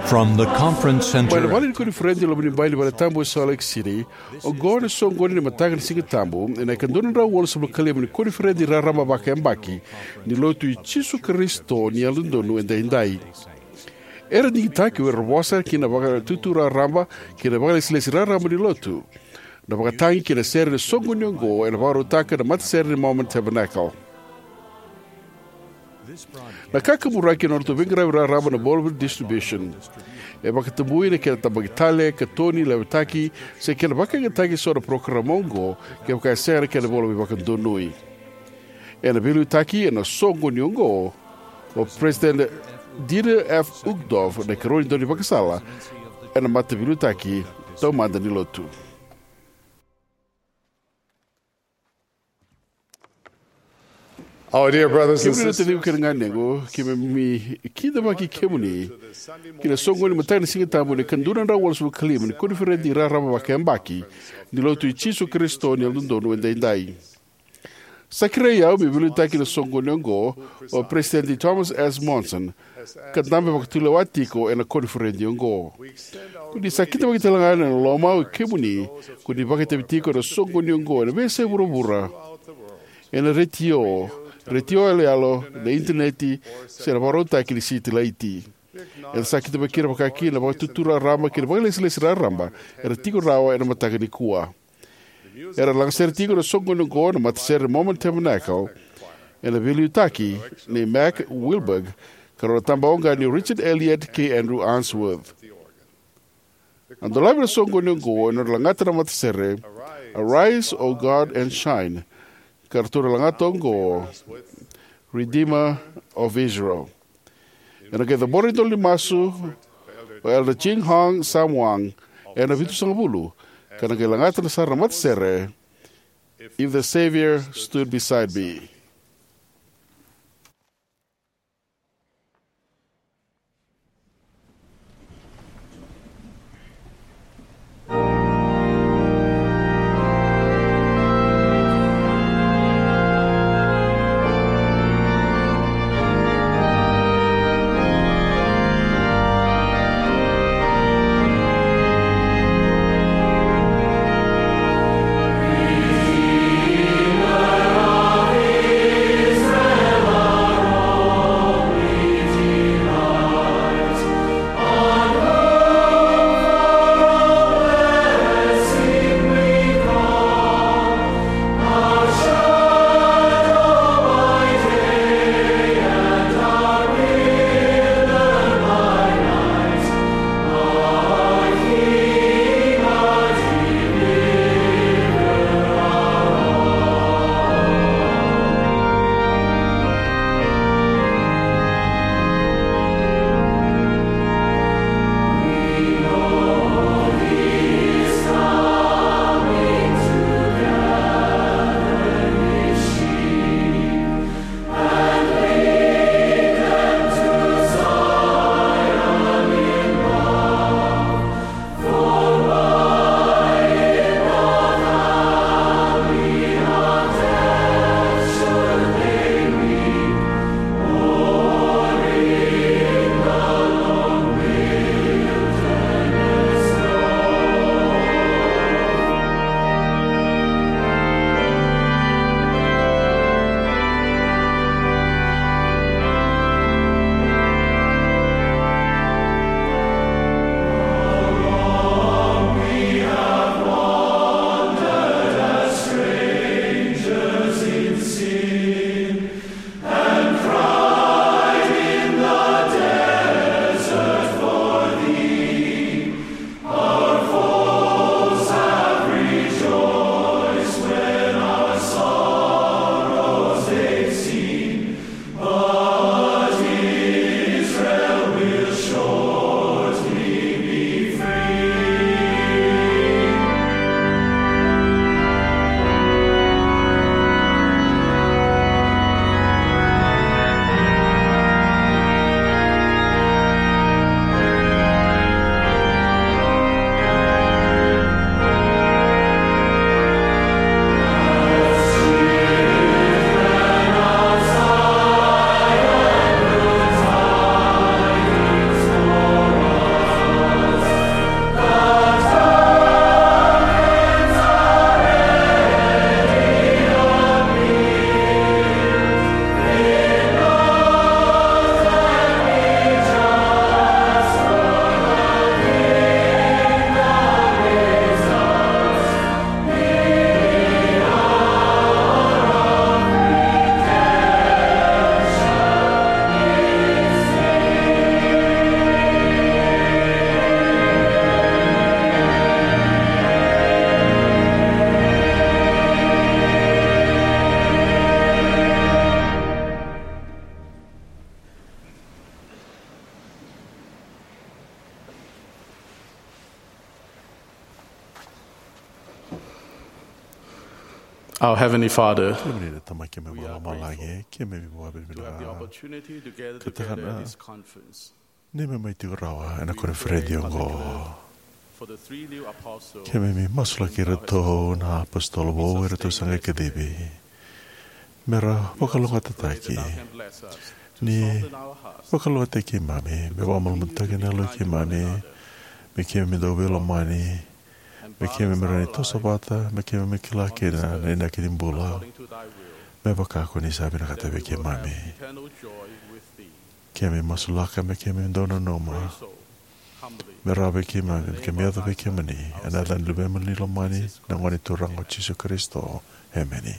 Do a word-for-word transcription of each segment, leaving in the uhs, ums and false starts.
From the conference center. Mai na vale ni koniferedi e loma ni bai ni vale tabu e Salt Lake City, oqo na soqoni ni mataka ni Siga Tabu ena ika dua na drau walusagavulu ka lima ni koniferedi raraba vakayabaki ni Lotu i Jisu Karisito ni Yalododonu Edaidai. Era digitaki o ira era vosa ki na vakatutu raraba kei na vakalesilesi raraba ni Lotu. Na vakatagi kei na sere ni soqoni oqo ena vakarautaka na matasere ni Mormon Tabernacle. Na kakaburaki ena nodratou veiqaravi raraba na Bolivar Distribution e vakatabui na kena tabaki tale, katoni, levetaki, se kena vakayagataki eso na parokaramu oqo kevaka e sega na kena ivola veivakadonui. Ena veiliutaki ena soqoni oqo o President Dieter F. Uchtdorf, na ikarua ni daunivakasala ena mataveiliutaki taumada ni Lotu. Our dear brothers and Kemuni na sisters, taciqu kei na ganequ, keimami kidavaki kemuni ki na soqoni ni mataka ni Siga Tabu ena ika dua na drau walusagavulu ka lima ni koniferedi raraba vakayabaki ni Lotu i Jisu Karisito ni Yalododonu Edaidai. Sa kerei au meu veiliutaki ena soqoni oqo o President Thomas S. Monson, ka dabe vakatulewa tiko ena koniferedi oqo. Ko ni sa kidavaki tale ga ena lomau kemuni ko ni vakaitavi tiko ena soqoni oqo ena veiyasai vuravura, ena retio, retio yaloyalo, na initaneti, se na vakarautaki ni sitilaiti. Eda sa kidavaki ira vakakina na vakatutu raraba kei na vakalesilesi raraba era tiko rawa ena mataka nikua. Era lagasere tiko ena soqoni oqo na matasere Mormon Tabernacle ena veiliutaki nei Mack Wilberg ka rau na tabaqoqani o Richard Elliott kei Andrew Unsworth. Na dolavi ena soqoni oqo ena nodra lagata na matasere Arise, O God, and Shine, ka ratou na lagata oqo Redeemer of Israel. Ena qai cabora na idola ni masu o Elder Ching Hong Sam Wang ena vitusagavulu, ka na qai lagata sara na matasere If the Savior Stood Beside Me. Our Heavenly Father, Kemuni na Tamai keimami vakalomalagi, keimami vakavinavinaka. Ka takana neimami mai tiko rawa ena koniferedi oqo. Keimami masulaki iratou na apositolo vou eratou sa qai kacivi, me ra vakalougatataki, ni vakalougatataki keimami, me vakamalumalumutaki na yalo i keimami, me keimami dau veilomani, me keimami rawa ni toso vata, me keimami kila kina na inaki ni bula, me vaka ko ni sa vinakata vei keimami. Keimami masulaka me keimami dau nanuma, me rawa vei keimami, me keimami yaco vei kemuni, ena yaca ni Luvemuni lomani, na Gone Turaga o Jisu Karisito. Emeni.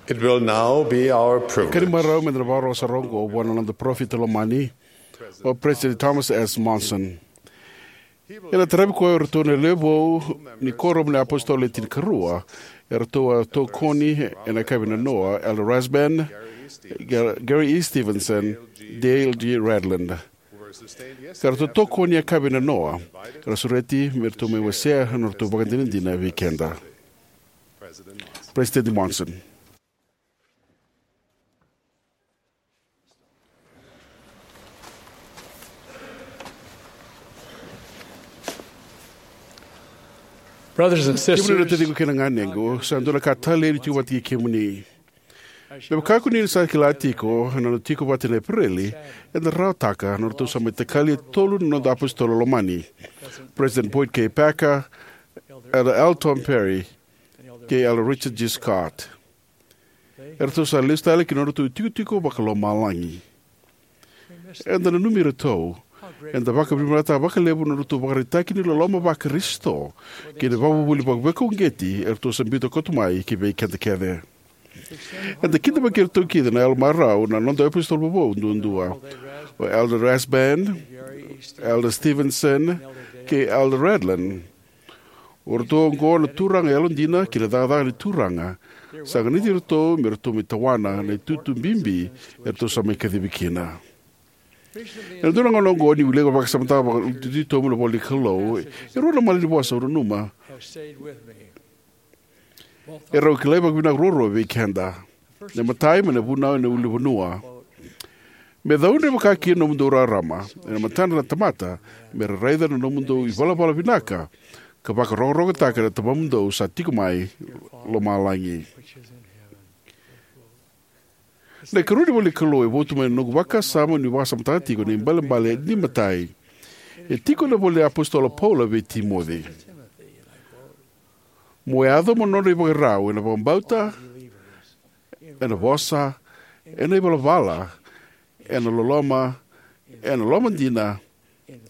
It will now be our privilege. Kena imarau me da na vakarorogo sara oqo vua na noda parofita lomani, o President Thomas S. Monson. Ena taravi koya o iratou na lewe vou ni Kuoramu ni iApositolo Le Tinikarua, eratou a tokoni ena yakavi nanoa, Elder Rasband, Ga-, Gary E. Stevenson, Dale G. Redland. Ka ratou tokoni ena yakavi nanoa, era sureti me ratou mai wasea na nodratou ivakadinadina vei keda. President Monson. Brothers and sisters, kemuni na taciqu kei na ganequ, sa dua na ka talei ni tiko vata kei kemuni. Me vaka ko ni sa kila tiko, ena noda tiko vata ena Epereli, eda rawataka na nodratou sa mai takali e tolu na noda apositolo lomani, President Boyd K. Packer, Elder L. Tom Perry, kei Elder Richard G. Scott. Eratou sa lesu tale ki na nodratou itikotiko vakalomalagi. Eda nanumi iratou. Eda vakavinavinakataka vakalevu na nodratou ivakaraitaki ni loloma vaKarisito kei na ivakavuvuli veivakauqeti eratou sa biuta koto mai ki vei keda kece. Eda kidavaki iratou kece ena yalomarau na noda iApositolo Vou duadua, o Elder Rasband, Elder Stevenson, kei Elder Radlin. O iratou oqo na turaga yalodina kei na cakacaka ni Turaga. Sa ganiti iratou me ratou mai tawana na itutu bibi eratou sa mai kacivi kina. Ena dua na gauna oqo niu wilika vakasamataka vakatitobu na ivola ni Kalou, e rua na malanivosa au nanuma e rau kilai vakavinaka ruarua vei keda. Na imatai mai na Vunau ena Ulunivanua: Me caudre vakakina na nomudou rarama ena matadra na tamata, me ra raica na nomudou ivalavala vinaka, ka vakarokorokotaka na Tamamudou sa tiko mai lomalagi. Na ikarua ni ivola ni Kalou e votu mai na noqu vakasama niu vakasamataka tiko na ibalebale ni imatai. E tiko ena ivola ni iApositolo Paula vei Timoci: Mo yaco mo nodra ivakarau ena vakabauta, ena vosa, ena ivalavala, ena loloma, ena lomadina,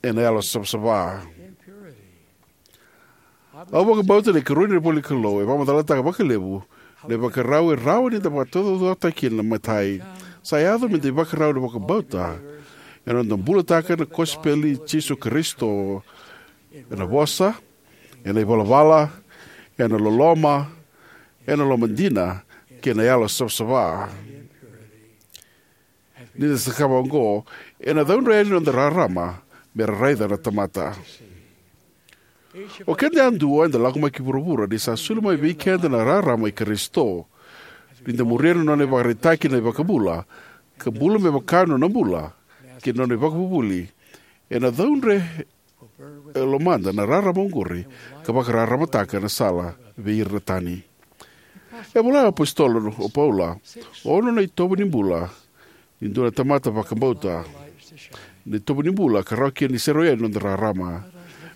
ena yalo savasava. Au vakabauta na ikarua ni ivola ni Kalou e vakamacalataka vakalevu na ivakarau e rawa ni da vakataucokotaka kina na imatai. Sa yaco me da ivakarau ena vakabauta, ena noda bulataka na kosipeli i Jisu Karisito, ena vosa, ena ivalavala, ena loloma, ena lomadina, kei na yalo savasava. Ni da cakava oqo, ena caudre yani na noda rarama me ra raica na tamata. O keda yadua eda lako mai ki vuravura ni sa soli mai vei keda na rarama i Karisito. Ni da muria na nona ivakaraitaki na iVakabula, ka bula me vaka na nona bula kei na nona ivakavuvuli, ena caudre e lomada na rarama oqori ka vakararamataka na sala vei ira na tani. E vola na iApositolo o Paula, ono na itovo ni bula ni dua na tamata vakabauta. Na itovo ni bula ka rawa kina ni serau yani na noda rarama.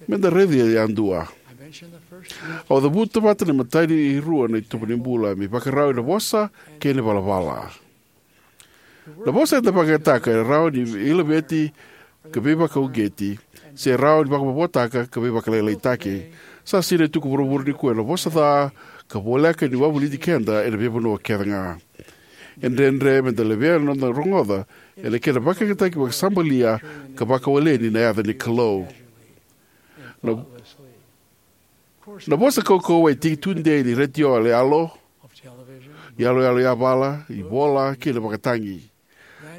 Me da raica yadua. Au cavuta vata na imatai ni rua na itovo ni bula, me ivakarau ena vosa kei na ivalavala. Na vosa eda vakayagataka e rawa ni veilaveti ka veivakauqeti, se rawa ni vakamavoataka ka veivakalailaitaki. Sa sinai tu ko vuravura nikua ena vosa ca ka voleka ni wavoliti keda ena veivanua kece ga. E dredre me da levea na noda rogoca ena kena vakayagataki vakasabalia ka vakawaleni na yaca ni Kalou. Na, na vosa kaukauwa e tiki tudei ni retio yaloyalo, iyaloyalo yavala, ivola, kei na vakatagi.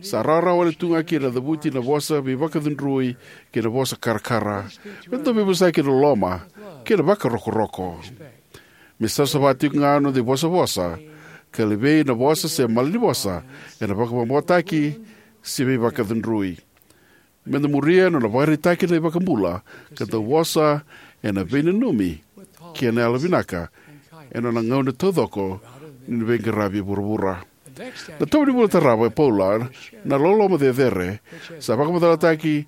Sa rawarawa wale tu ga kina na cavuti na vosa veivakacudrui kei na vosa karakara. Me da veivosaki ena loloma kei na vakarokoroko. Me savasava tiko ga na noda ivosavosa, ka levei na vosa se malanivosa ena vakamavoataki se veivakacudrui. Me da muria na nona vakaraitaki na iVakabula, ka dau vosa ena veinanumi kei na yalovinaka ena nona gauna taucoko ni veiqaravi e vuravura. Na itovo ni bula tarava e Paula, na loloma cecere, sa vakamacalataki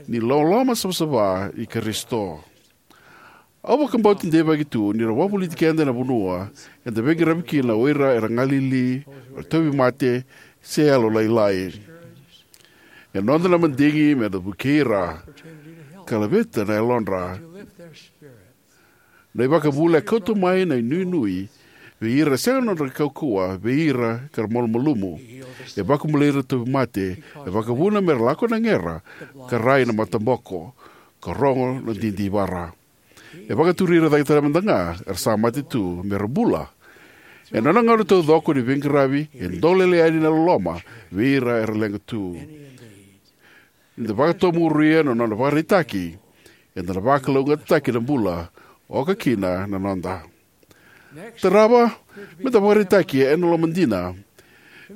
ni loloma savasava i Karisito. Au vakabauta deivaki tu ni na wavoliti keda ena vanua eda veiqaravi kina o ira era galili, era tauvimate, se yalolailai. E noda na madigi me da vukei ira ka laveta na yalodra. Na iVakabula e kauta mai na inuinui vei ira e sega na nodra kaukauwa, vei ira ka ra malumalumu. E vakabulai ira tauvimate, e vakavuna me ra lako na gera, ka rai na mataboko, ka rogo na didivara. E vakaturi ira cake tale mada ga era sa mate tu me ra bula. Ena nona gauna taucoko ni veiqaravi, e dolele yani na loloma vei ira era leqa tu. Ni da vakatomuria na nona vakaraitaki, eda na vakalougatataki na bula, oka kina na noda. Tarava, me da vakaraitaki ena lomadina.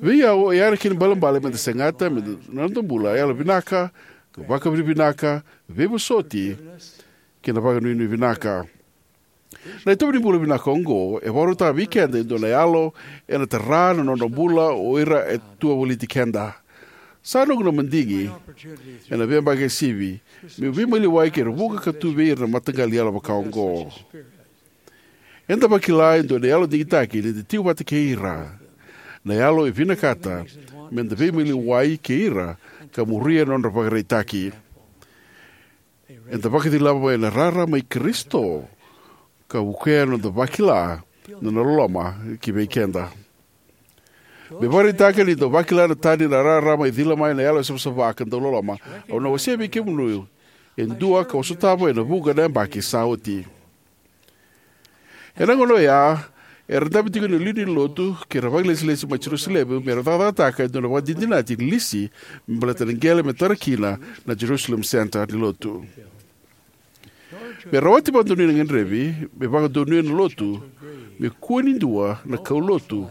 Vei au, oya na kena ibalebale me da segata me da, na noda bula, yalovinaka, ka vakavinavinaka, veivosoti, kei na vakanuinui vinaka. Na itovo ni bula vinaka oqo e vakarautaka vei keda e dua na yalo ena tara na nodra bula o ira e tu wavoliti keda. Sa noqu na madigi ena veiyabaki e sivi meu veimaliwai kei ira vuqa ka tu vei ira na mataqali yalo vaka oqo. Eda vakila e dua na yalo digitaki ni da tiko vata kei ira. Na yalo e vinakata me da veimaliwai kei ira ka muria na nodra ivakaraitaki. Eda vakacilava mai na rarama i Karisito ka vukea na noda vakila na nona loloma ki vei keda. Me vakaraitaka ni dau vakila na tani na rarama e cila mai na yalo e savasava ka dau loloma, au na wasea vei kemuni e dua kau a sotava ena vuqa na yabaki sa oti. Ena gauna oya, era dabe tiko na lewe ni lotu kei ira na vakailesilesi mai Jerusalemi me ra cakacakataka e dua na vakadinadinati ni lisi me baleta na qele me tara kina na Jerusalem Center ni lotu. Me rawati vakadonui na gadrevi me vakadonuya na lotu, me kua ni dua na kaulotu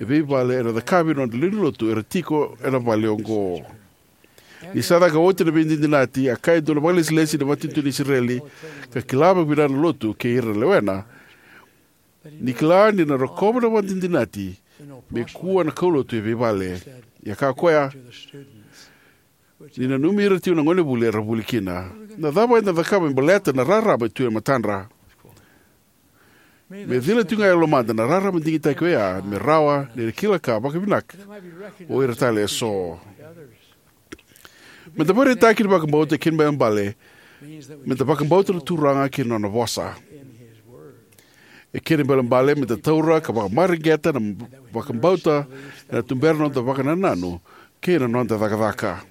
e veivale era cakava na nodra lewe ni lotu era tiko ena vale oqo. Ni sa caka oti na veidinadinati, a kaya e dua na vakailesilesi ni Vakatinitini i Isireli, ka kila vakavinaka na lotu kei ira na lewena, ni kila ni na rokova na vakadinadinati me kua na kaulotu e veivale. Ia kaya o koya, ni nanumi ira tiko na gonevuli era vuli kina. Na cava eda na cakava me baleta na rarama e tu e matadra? Me cila tiko ga e lomada na rarama digitaki oya me rawa ni ra kila ka vakavinaka o ira tale eso. Me da vakaraitaki na vakabauta e kena ibalebale me da vakabauta na Turaga kei na nona vosa. E kena ibalebale me da taura ka vakamareqeta na vakabauta ena tubera na noda vakanananu kei na noda cakacaka.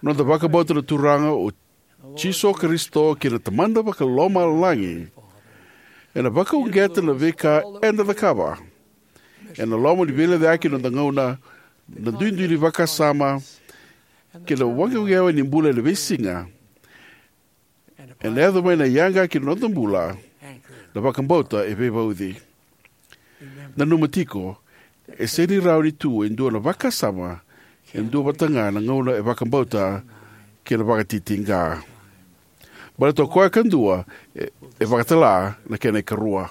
Noda vakabauta na Turaga o Jisu Karisito kei na Tamada Vakalomalagi ena vakauqeta na veika eda cakava. Ena loma ni veilecayaki na noda gauna, na duidui ni vakasama, kei na waqewaqa ni bula ena veisiga, ena yaco mai na yaga ki na noda bula, na vakabauta e veivauci. Nanuma tiko, e sega ni rawa ni tu e dua na vakasama e dua vata ga na gauna e vakabauta kei na vakatitiqa. Baleta o koya kadua e, e vakatala na kena ikarua.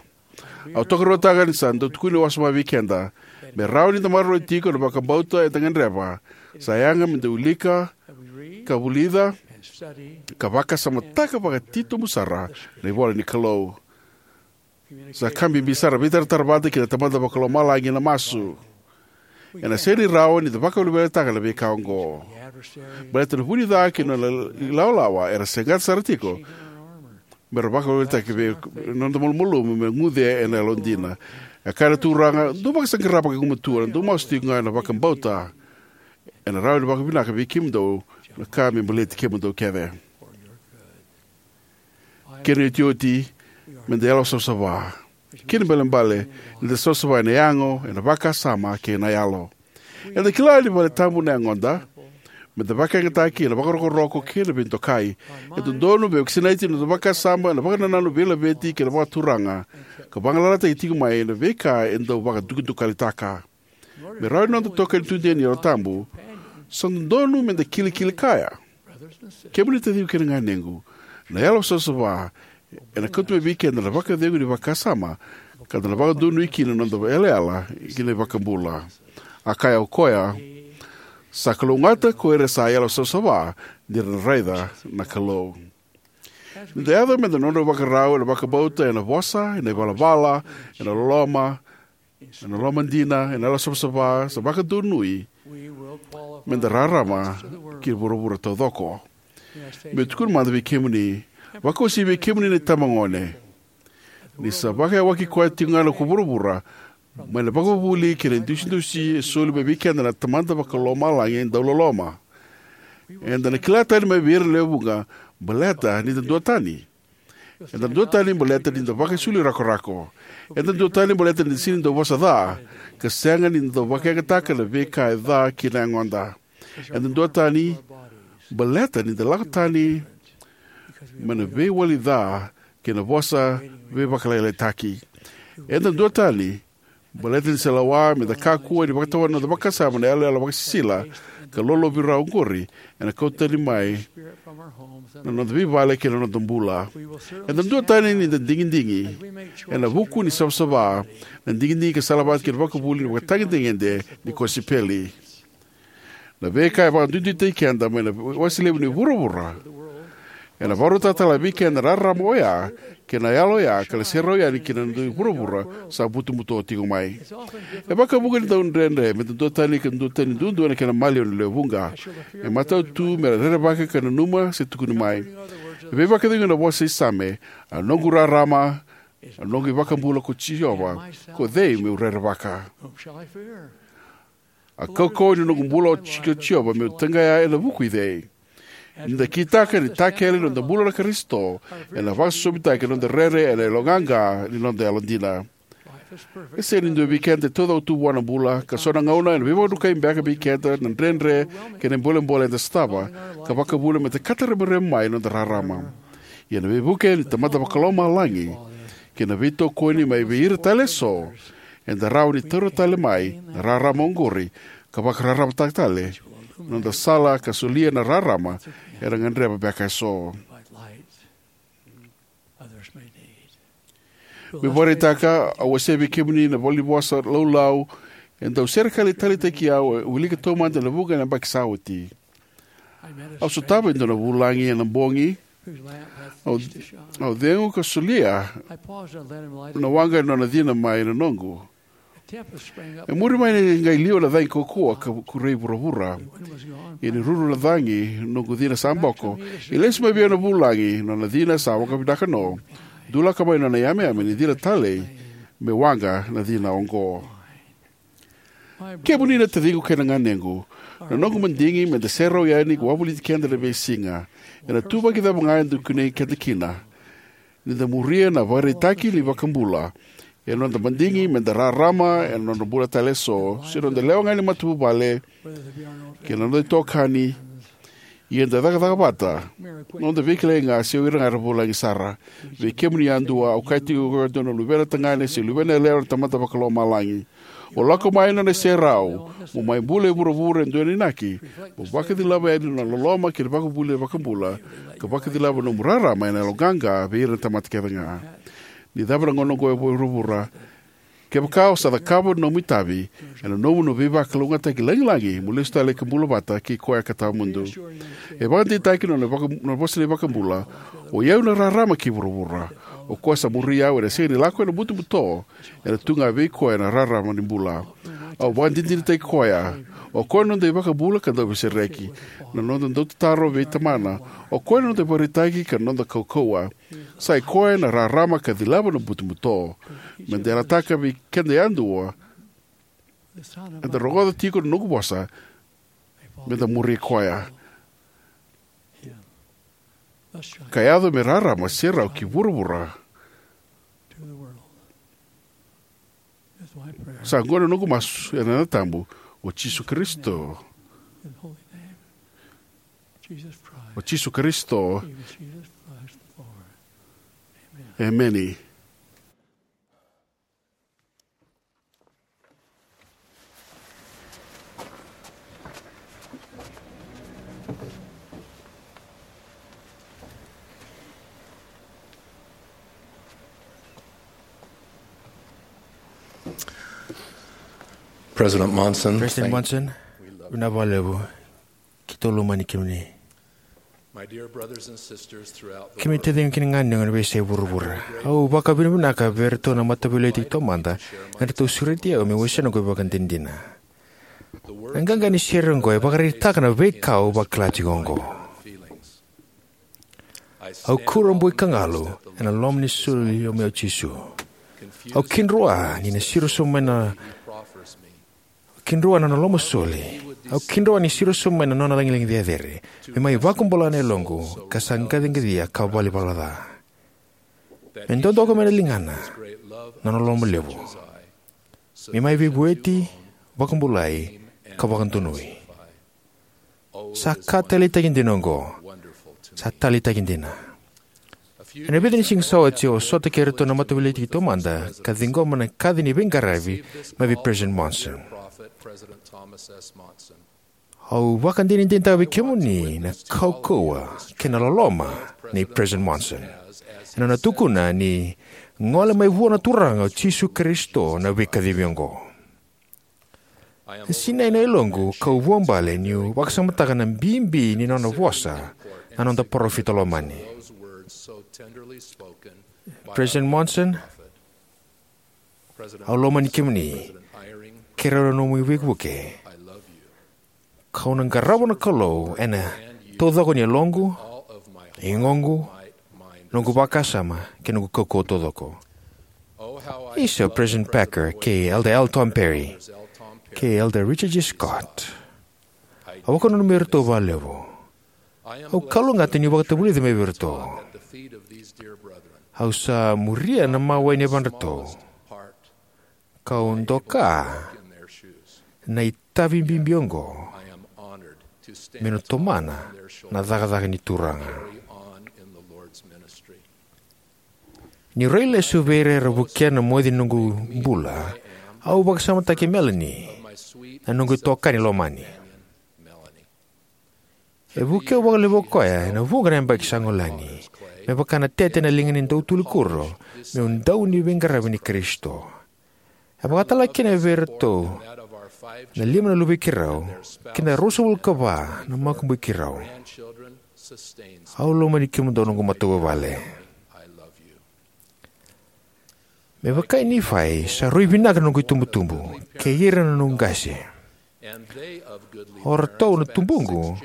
Au tokaruataka ni sa dau tukuni wasoma vei keda me rawa ni da maroroi tiko na vakabauta eda gadreva. Sa yaga me da wilika ka vulica ka vakasamataka vakatitobu sara na ivola ni Kalou. Sa ka bibi sara veitaratara vata kei na Tamada Vakalomalagi ena masu. Ena sega ni rawa ni da vakavelavelataka na veika oqo. Baleta na vu ni ca kei na nona ilawalawa era saqata sara tiko me ra vakavelavelataki vei noda malumalumu me guce ena yalodina. E kaya na Turaga, dou vakasaqara vakagumatua, dou masu tiko ga ena vakabauta. Ena rawa ni vakavinaka vei kemudou na ka me baleti kemudou kece. Kena iotioti, me da yalo savasava. Kena ibalebale ni da savasava ena yago, ena vakasama kei na yalo. Eda kila ni vale tabu na yagoda, me da vakayagataki ena vakarokoroko kei na veidokai. E dodonu me vakasinaiti na noda vakasama ena vakanananu veilaveti kei na vakaturaga, ka vagalalataki tiko mai na veika e dau vakadukadukalitaka. Me rawa ni noda itokani tudei ni Yalo Tabu, sa dodonu me da kilikili kaya. Kemuni taciqu kei na ganequ, na yalo savasava ena kauta mai vei keda na vakacegu ni vakasama, ka da na vakadonui kina na noda yalayala ki na iVakabula. A kaya o koya, sa kalougata ko ira sa yalo savasava, ni ra na raica na Kalou. Ni da yaco me da nodra ivakarau ena vakabauta, ena vosa, ena ivalavala, ena loloma, ena loma dina, ena yalo savasava, sa vakadonui me da rarama ki vuravura taucoko. Meu tukuna mada vei kemuni, vakauasivi vei kemuni na itabagone, ni sa vakayawaki koya tiko ga na ko vuravura mai na vakavuvuli kei na idusidusi e soli mai vei keda na Tamada Vakalomalagi e dau loloma. Eda na kila tani mai vei ira na lewe vuqa baleta ni da duatani. Eda duatani baleta ni da vakaisulu rakorako. Eda duatani baleta ni da sega ni dau vosa ca, ka sega ni da dau vakayagataka na veika e ca ki na yagoda. Eda duatani baleta ni da lako tani mai na veiwali ca kei na vosa veivakalailai taki. Eda duatani baleta ni se lawa me da kakua ni vakatawana na noda vakasama na yaloyalo vakasisila ka lolovira oqori ena kauta tani mai na noda veivale kei na noda bula. Eda duatani ni da digidigi ena vuku ni savasava, na digidigi ka salavata kei na vakavuvuli ni vakatagedegede ni kosipeli. Na veika e vakaduiduitaki keda mai na wase levu ni vuravura Ena vakarautaka tale vei keda na rarama oya kei na yalo oya ka na serau yani ki na dui vuravura sa butobuto tiko mai. E vakavuqa ni dau dredre me da duatani ka duatani duadua na kena maliwa na lewe vuqa. E matau tu me ra rerevaka ka nanuma se tukuni mai. E veivakacegui na vosa i Same: "A noqu rarama, a noqu iVakabula ko Jiova, ko cei meu rerevaka? A kaukauwa ni noqu bula o Ji-, ko Jiova, meu taqaya ena vuku i cei?" Ni da kitaka ni takele na noda bula na Karisito, ena vakasosomitaki na noda rere ena yaloqaqa ni noda yalodina. E sega ni dua vei keda e taucoko tu vua na bula, ka so na gauna ena veivakadrukai beka vei keda na dredre kei na bolebole eda sotava, ka vakavuna me da kataremarema mai na noda rarama. Ia na veivuke ni Tamada Vakalomalagi kei na veitokoni mai vei ira tale eso, eda rawa ni taura tale mai na rarama oqori ka vakararamataka tale na noda sala ka solia na rarama era gadreva beka eso. Meu vakaraitaka, au wasea vei kemuni na valenivosa laulau e dau serekali taleitaki au e wilika taumada ena vuqa na yabaki sa oti. Au sotava e dua na vulagi ena bogi. Au, au cegu ka solia na waqa ni nona cina mai na noqu. E muri mai ni qai liwa na cagi kaukauwa ka kurei vuravura. Ia ni ruru na cagi noqu cina sa boko, e lesu mai vei au na vulagi, nona cina sa vakavinaka no. Dulaka mai nona yameyame ni cina talei me waqa na cina oqo. Kemuni na taciqu kei na ganequ, na noqu madigi me da serau yani ka wavoliti keda ena veisiga, ena ituvaki cava ga e dau kunei keda kina, ni da muria na ivakaraitaki ni iVakabula. Ena noda madigi me da rarama ena noda bula tale eso, se noda lewe ga ni matavuvale kei na noda itokani, ia da cakacaka vata, noda veikilai ga se o ira ga era vulagi sara. Vei kemuni yadua, au kaya tiko, o iko e dua na luvena tagane se luvena yalewa na Tamada Vakalomalagi. O lako mai ena nona iserau, mo mai bula e vuravura e dua na inaki, mo vakacilava yani na nona loloma kei na ivakavuvuli ni iVakabula, ka vakacilava na nomu rarama ena yaloqaqa vei ira na tamata kece ga. Ni cava na gauna oqo e vuravura, kevaka o sa cakava na nomu itavi, ena nomu na veivakalougatataki lagilagi mo lesu tale ka bula vata kei koya ka tawamudu. E vakadeitaki na nona vaka-, na vosa ni iVakabula: "O i au na rarama kei vuravura. O koya sa muri au ena sega ni lako ena butobuto, ena tu ga vei koya na rarama ni bula." Au vakadinadinataki koya. O koya na noda iVakabula ka Dauveisereki, na noda dautataro vei Tamana. O koya na noda ivakaraitaki ka noda kaukauwa. Sa i koya na rarama ka cilava na butobuto. Me da yalataka vei keda yadua, eda rogoca tiko na noqu vosa, me da muri koya. Ka yaco me rarama, serau ki vuravura. Sa oqo na noqu masu ena yaca tabu o Jisu Karisito. O Jisu Karisito. Emeni. President Monson, President Monson, vinaka vakalevu. Keitou lomani kemuni. My dear brothers and sisters throughout the Kemuni world, taciqu kei na ganequ ena veiyasai vuravura. Au vakavinavinaka vei iratou na Mataveiliutaki Taumada, eratou sureti au meu wasea noqu ivakadinadina. Na qaqa ni sere oqo e vakaraitaka na veika au vakila tiko oqo. Au kurabui ka galu ena loma ni soli o Jisu. Au kidroa ni na siro sobu mai na Au kidroa na nona lomasoli. Au kidroa ni siro sobu mai na nona lagilagi cecere me mai vakabula na yaloqu ka sa qaciqacia ka valivala ca. Me dodoka mai na ligana na nona lomalevu, me mai veivueti, vakabulai, ka vakadonui. Sa ka taleitaki dina oqo. Sa taleitaki dina. Ena vica ni siga sa oti au sota kei iratou na Mataveiliutaki Taumada ka ciqoma na kaci ni veiqaravi mai vei President Monson. Au vakadinadinataka vei kemuni na kaukauwa kei na loloma nei President Monson ena nona tukuna ni gole mai vua na Turaga o Jisu Karisito na veikacivi oqo. E sinai na yaloqu kau vuabale niu vakasamataka na bibi ni nona vosa na noda parofita lomani. President Monson, au lomani kemuni kei rau na nomu veivuke. Kau na qarava na Kalou ena taucoko ni yaloqu, igoqu, noqu vakasama kei noqu kaukauwa taucoko. Isa o President Packer kei Elder L. Tom Perry kei Elder Richard G. Scott. Au vakananumi iratou vakalevu. Au kalougata niu vakatavulica mai vei iratou. Au sa muria na mawe ni yavadratou. Kau doka na itavi bibi oqo me na tomana na cakacaka ni Turaga. Niu rai lesu vei ira era vukea na moici ni noqu bula, au vakasamataki Melanie, na noqu itokani lomani. E vukea au vakalevu o koya ena vuqa na yabaki sa gole yani, me vaka na tete ena liga ni dautuli kuro, meu dau ni veiqaravi ni Karisito. E vakatalega kina vei iratou na lima na luvei keirau kei na ruasagavulu ka va na makubui keirau. Au lomani kemudou, noqu matavuvale. Me vaka o Nifai, sa rui vinaka na noqu itubutubu kei ira na noqu qase. O ratou na tubuqu,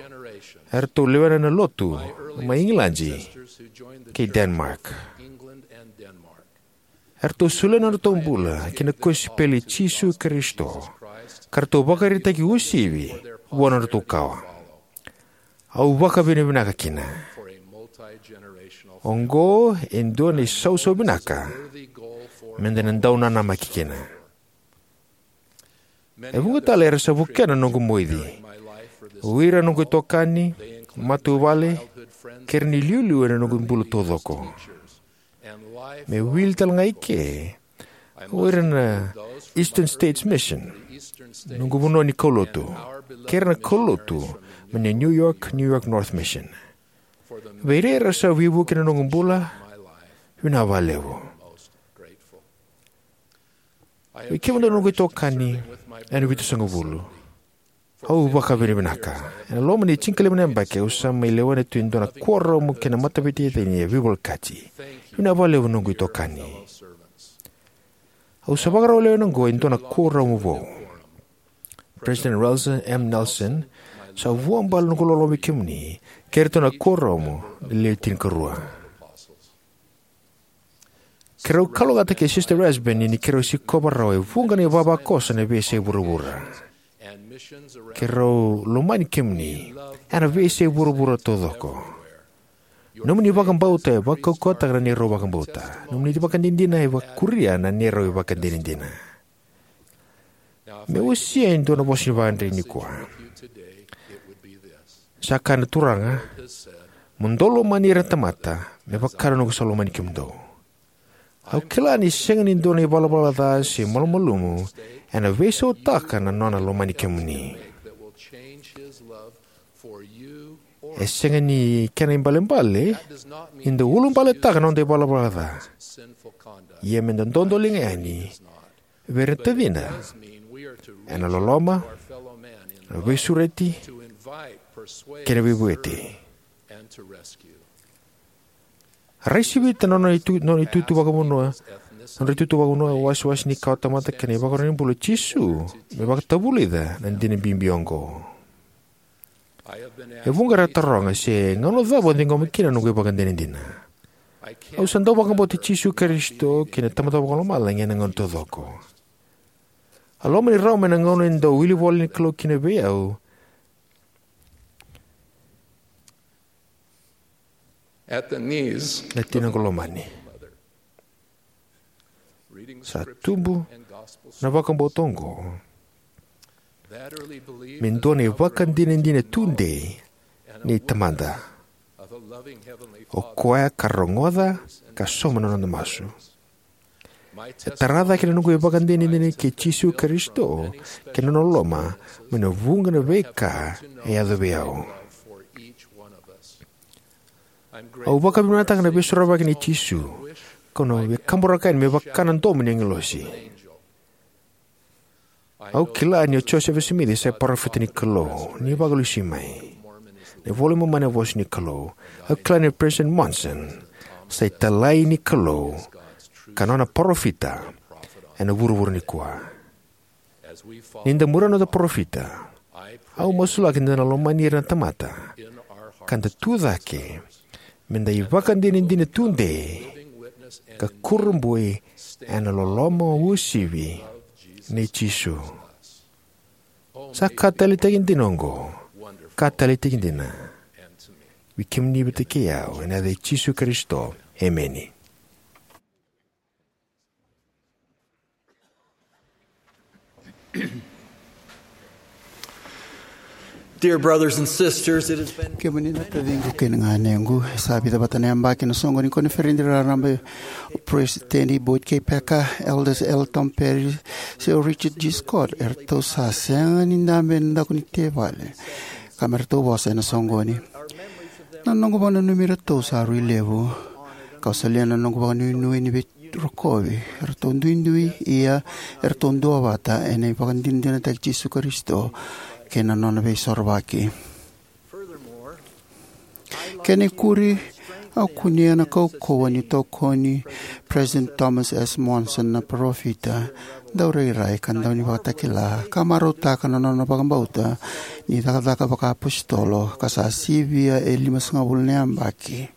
eratou lewena na lotu mai Igiladi kei Denmark. Eratou solia na nodratou bula ki na kosipeli i Jisu Karisito, ka ratou vakaraitaki uasivi vua na nodratou kawa. Au vakavinavinaka kina. Oqo e dua na isausau vinaka meda na dau nanamaki kina. E vuqa tale era sa vukea na noqu moici. O ira na noqu itokani, matavuvale, kei ira na iliuliu ena noqu bula taucoko. Me wili tale ga i ke, o ira na Eastern States Mission, noqu vanua ni kaulotu, kei ira na kaulotu mai na New York, New York North Mission. Vei ira era sa veivuke ena noqu bula, vinaka vakalevu. Vei kemudou na noqu itokani ena Vitusagavulu, au vakavinavinaka. Ena loma ni tinikalima na yabaki au sa mai lewena tu e dua na kuoramu kei na mataveitacini e veivolekati. Vinaka vakalevu na noqu itokani. Au sa vakarau lewena oqo e dua na kuoramu vou. President Russell M. Nelson, sa vuabale noqu loloma vei kemuni kei iratou na kuoramu na Lewe Tinikarua. Keirau kalougata kei Sister Rasband ni keirau sikova rawa e vuqa na ivavakoso ena veiyasai vuravura. Keirau lomani kemuni ena veiyasai vuravura taucoko. Nomuni vakabauta e vakaukauwataka na neirau vakabauta. Nomuni ivakadinadina e vakuria na neirau ivakadinadina. Me uasia e dua na vosa ni vakadre nikua. Sa kaya na Turaga, mo dou lomani ira na tamata me vaka na noqu sa lomani kemudou. Au kila ni sega ni dua na ivalavala ca se malumalumu ena veisautaka na nona lomani kemuni. E sega ni kena ibalebale ni da ulubaletaka na noda ivalavala ca. Ia me da dodoliga yani vei ira na tacida ena loloma, na veisureti kei na veivueti. Rai sivita na nona itu, nona itutu vakavanua, nodra itutu vakavanua, wasewase ni kawatamata kei na ivakarau ni bula o Jisu me vakatavulica na dina bibi oqo. E vuqa era taroga se gauna cava au ciqoma kina na noqu ivakadinadina. Au sa dau vakabauti Jisu Karisito kei na Tamada Vakalomalagi ena gauna taucoko. A loma ni rawa mai na gauna e dau wili ivola ni Kalou kina vei au na tinaqu lomani. Sa tubu na vakabauta oqo me dua na ivakadinadina tudei ni Tamada. O koya ka rogoca ka sauma na noda masu. E tara cake na noqu ivakadinadina kei Jisu Karisito kei na nona loloma mai na vuqa na veika e yaco vei au. Au vakavinavinakataka na veisorovaki nei Jisu, kau na veikaburaki yani me vaka na domo ni agilosi. Au kila ni o Josefa Simici sa parofita ni Kalou ni vakalesui mai. Na iVola i Momani na vosa ni Kalou. Au kila ni President Monson sa italai ni Kalou ka nona parofita ena vuravura nikua. Ni da muria na noda parofita, au masulaki ni da na lomani ira na tamata ka da tu cake me da ivakadinadina tudei ka kurabui ena loloma uasivi nei Jisu. Sa ka taleitaki dina oqo, ka taleitaki dina vei kemuni vata kei au, ena yaca i Jisu Karisito. Emeni. Dear brothers and sisters, it has been Kemuni na taciqu kei na ganequ, e sa vica vata na yabaki na soqo ni koniferedi raraba. O President Boyd K. Packer, Elders L. Tom Perry, se o Richard G. Scott, eratou sa sega ni dabe ena daku ni tevale ka me ratou vosa ena soqoni. Na noqu vakananumi iratou sa rui levu, kau solia na noqu vakanuinui ni vei rokovi, eratou duidui, ia eratou duavata ena ivakadinadinataki Jisu Karisito kei na nona veisorovaki. Kena ikuri, au kunea na kaukauwa ni tokoni President Thomas S. Monson, na parofita, daurairai ka daunivakatakila, ka marautaka na nona vakabauta ni cakacaka vakaapositolo ka sa sivia e limasagavulu na yabaki.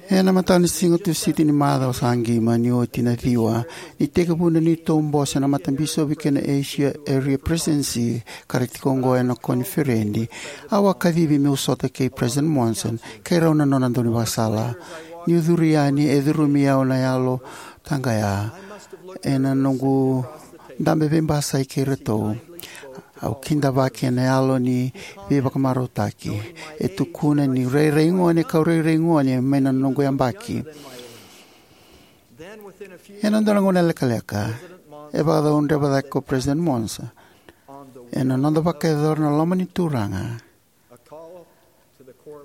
Ena mataka ni siga Tusiti ni macawa sa qima ni oti na ciwa, ni tekivu na neitou bose na Matabisopi kei na Asia Area Presidency, ka ra tiko oqo ena koniferedi, au a kacivi meu sota kei President Monson kei rau na nona daunivakasala. Niu curu yani, e curumi au na yalo taqaya ena noqu dabe veibasai kei iratou. Au kidavaki ena yalo ni veivakamarautaki. E tukuna ni rairai gone kau rairai gone mai na noqu yabaki. Ena dua na gauna lekaleka, e vakacaudreva cake ko President Monson ena noda vakayacora na loma ni Turaga.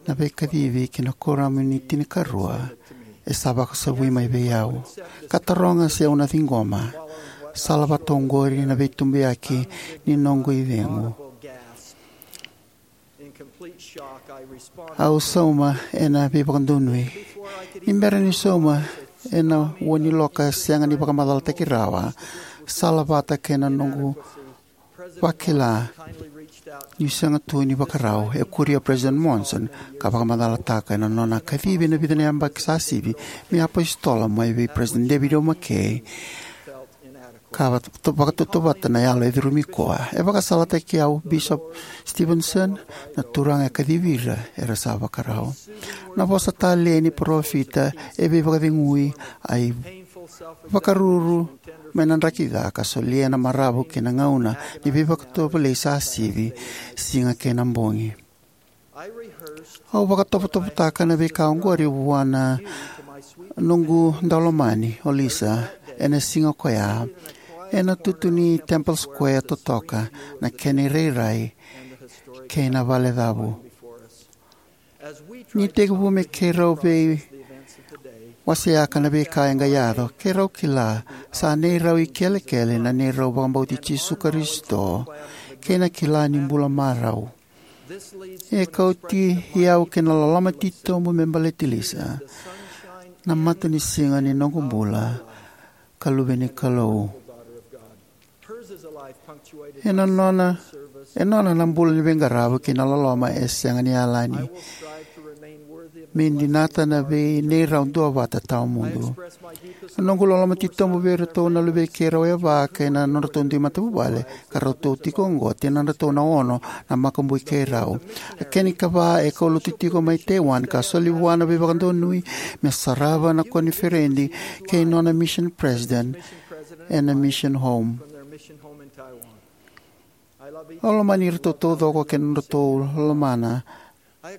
Na veikacivi ki na kuoramu ni tinikarua e sa vakasavui mai vei au ka taroga se au na ciqoma. Sala vata oqori na veitubuyaki ni noqu icegu. Au sauma ena veivakadonui. Ni bera ni sauma ena ua ni loka sega ni vakamacalataki rawa, sala vata kei na noqu vakila niu sega tu ni vakarau, e kuria President Monson ka vakamacalataka ena nona kacivi ena vica na yabaki sa sivi me apositolo mai vei President David O. McKay, ka vakatautauvata na yalo e curumi koya. E vakasalataki au, Bishop Stevenson, na Turaga e kacivi ira era sa vakarau. Na vosa talei ni parofita e veivakacegui, a ivakaruru mai na draki ca, ka solia na maravu kei na gauna ni veivakatovolei sa sivi, siga kei na bogi. Au vakatovotovotaka na veika oqori vua na noqu daulomani, o Lisa, ena siga koya, ena tutu ni Temple Square totoka, na kena irairai kei na valecavu. Ni tekivu me keirau veiwaseaka na veika e qai yaco, keirau kila sa neirau ikelekele na neirau vakabauti Jisu Karisito kei na kila ni bula marau. E kauti au ki na loloma titobu me baleti Lisa, na matanisiga ni noqu bula, ka luve ni Kalou. E nona, e nona na bula ni veiqaravi kei na loloma e sega ni yalani me dinata na vei neirau duavata tawamudu. Na noqu loloma titobu vei iratou na luvei keirau e va kei na nodratou dui matavuvale, ka ratou tiko oqo, tinadratou na ono na makubui keirau. A kena ikava e kaulotu tiko mai Taiwan ka soli vua na veivakadonui me sarava na koniferedi kei nona mission president ena mission home. Au lomani iratou taucoko kei na nodratou lomana na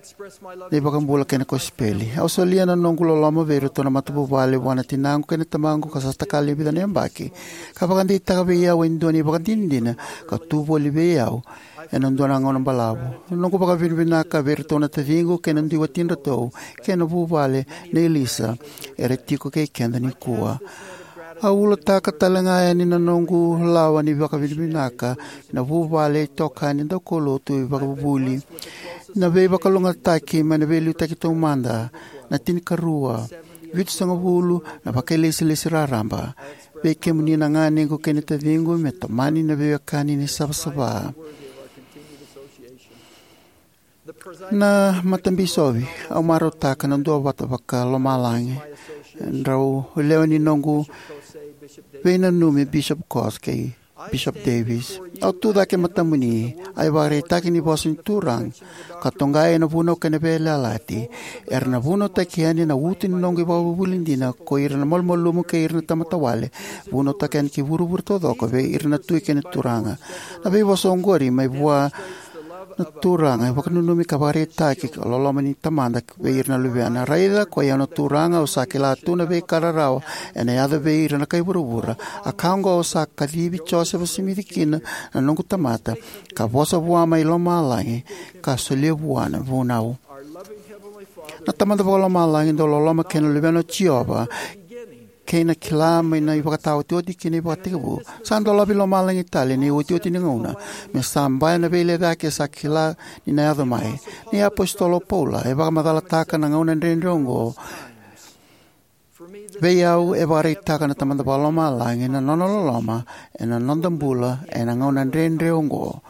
iVakabula kei na kosipeli. Au solia na noqu loloma vei iratou na matavuvale vua na tinaqu kei na tamaqu ka sa takali e vica na yabaki, ka vakadeitaka vei au e dua na ivakadinadina ka tu voli vei au ena dua na gauna balavu. Na noqu vakavinavinaka vei iratou na taciqu kei na dui watidratou kei na vuvale nei Lisa era tiko kei keda nikua. Au ulataka tale ga yani na noqu lawa ni vakavinavinaka na vuvale, itokani, daukaulotu, ivakavuvuli, na veivakalougatataki mai na veiliutaki taumada, na tinikarua, vitusagavulu na vakailesilesi raraba. Vei kemuni na ganequ kei na taciqu, me tomani na veiwekani ni savasava. Na matabisovi, au marautaka na duavata vakalomalagi. Drau lewe ni noqu veinanumi, Bishop Cox kei Bishop Davis. Au tu cake e matamuni, a ivakaraitaki ni vosa ni Turaga, ka toqai ena vunau kei na veiyalayalati. Era na vunautaki yani na utu ni noqu ivakavuvuli dina, ko ira na malumalumu kei ira na tamata wale. Vunautaki yani ki vuravura taucoko, vei ira na tui kei na turaga. Na veivosa oqori mai vua na Turaga, e vakananumi ka vakaraitaki ka loloma ni Tamada vei ira na luvena. Raica, koi au na Turaga, au sa kila tu na veika rarawa ena yaco vei ira na kai vuravura. A ka oqo au sa kacivi Josefa Simici kina, na noqu tamata, ka vosa vua mai lomalagi, ka solia vua na vunau. Na Tamada vakalomalagi dau loloma kei na luvena o Jiova, kei na kila mai na ivakataotioti kei na ivakatekivu. Sa dolavi lomalagi tale ena iotioti ni gauna, me sa baya na veilecayaki e sa kila ni na yaco mai. Ni apositolo o Paula e vakamacalataka na gauna dredre oqo. Vei au, e vakaraitaka na Tamada vakalomalagi na nona loloma ena noda bula ena gauna dredre oqo,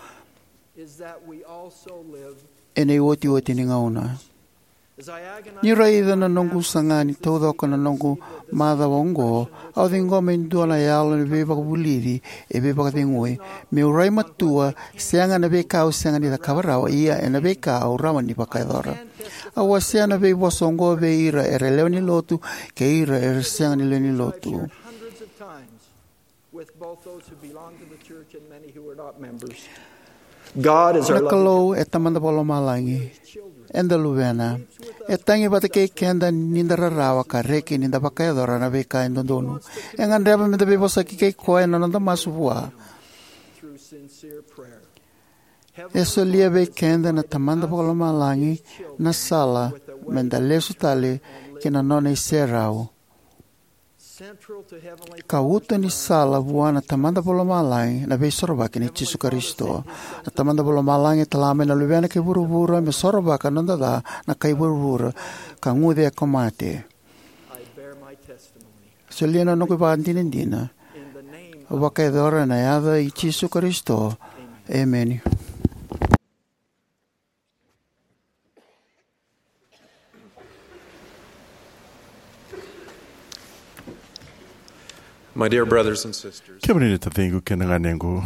ena iotioti ni gauna. Niu raica na noqu saga ni taucoko na noqu macawa oqo, au ciqoma e dua na yalo ni veivakavulici e veivakacegui. Meu rai matua, sega ena veika au sega ni cakava rawa, ia ena veika au rawa ni vakayacora. Au wasea na veivosa oqo vei ira era lewe ni lotu kei ira era sega ni lewe ni lotu. Na Kalou e Tamada vakalomalagi. Eda luvena. E tagi vata kei keda ni da rarawa ka reki ni da vakayacora na veika e dodonu. E gadreva me da veivosaki kei koya ena noda masu vua. E solia vei keda na Tamada vakalomalagi na sala me da lesu tale ki na nona iserau, ka uto ni sala vua na Tamada vakalomalagi na veisorovaki nei Jisu Karisito. Na Tamada vakalomalagi e tala mai na luvena ki vuravura me sorovaka na noda ca na kai vuravura, ka guce ko mate. Solia na noqu ivakadinadina. Au vakayacora ena yaca i Jisu Karisito. Emeni. My dear brothers and sisters, kemuni na taciqu kei na ganequ,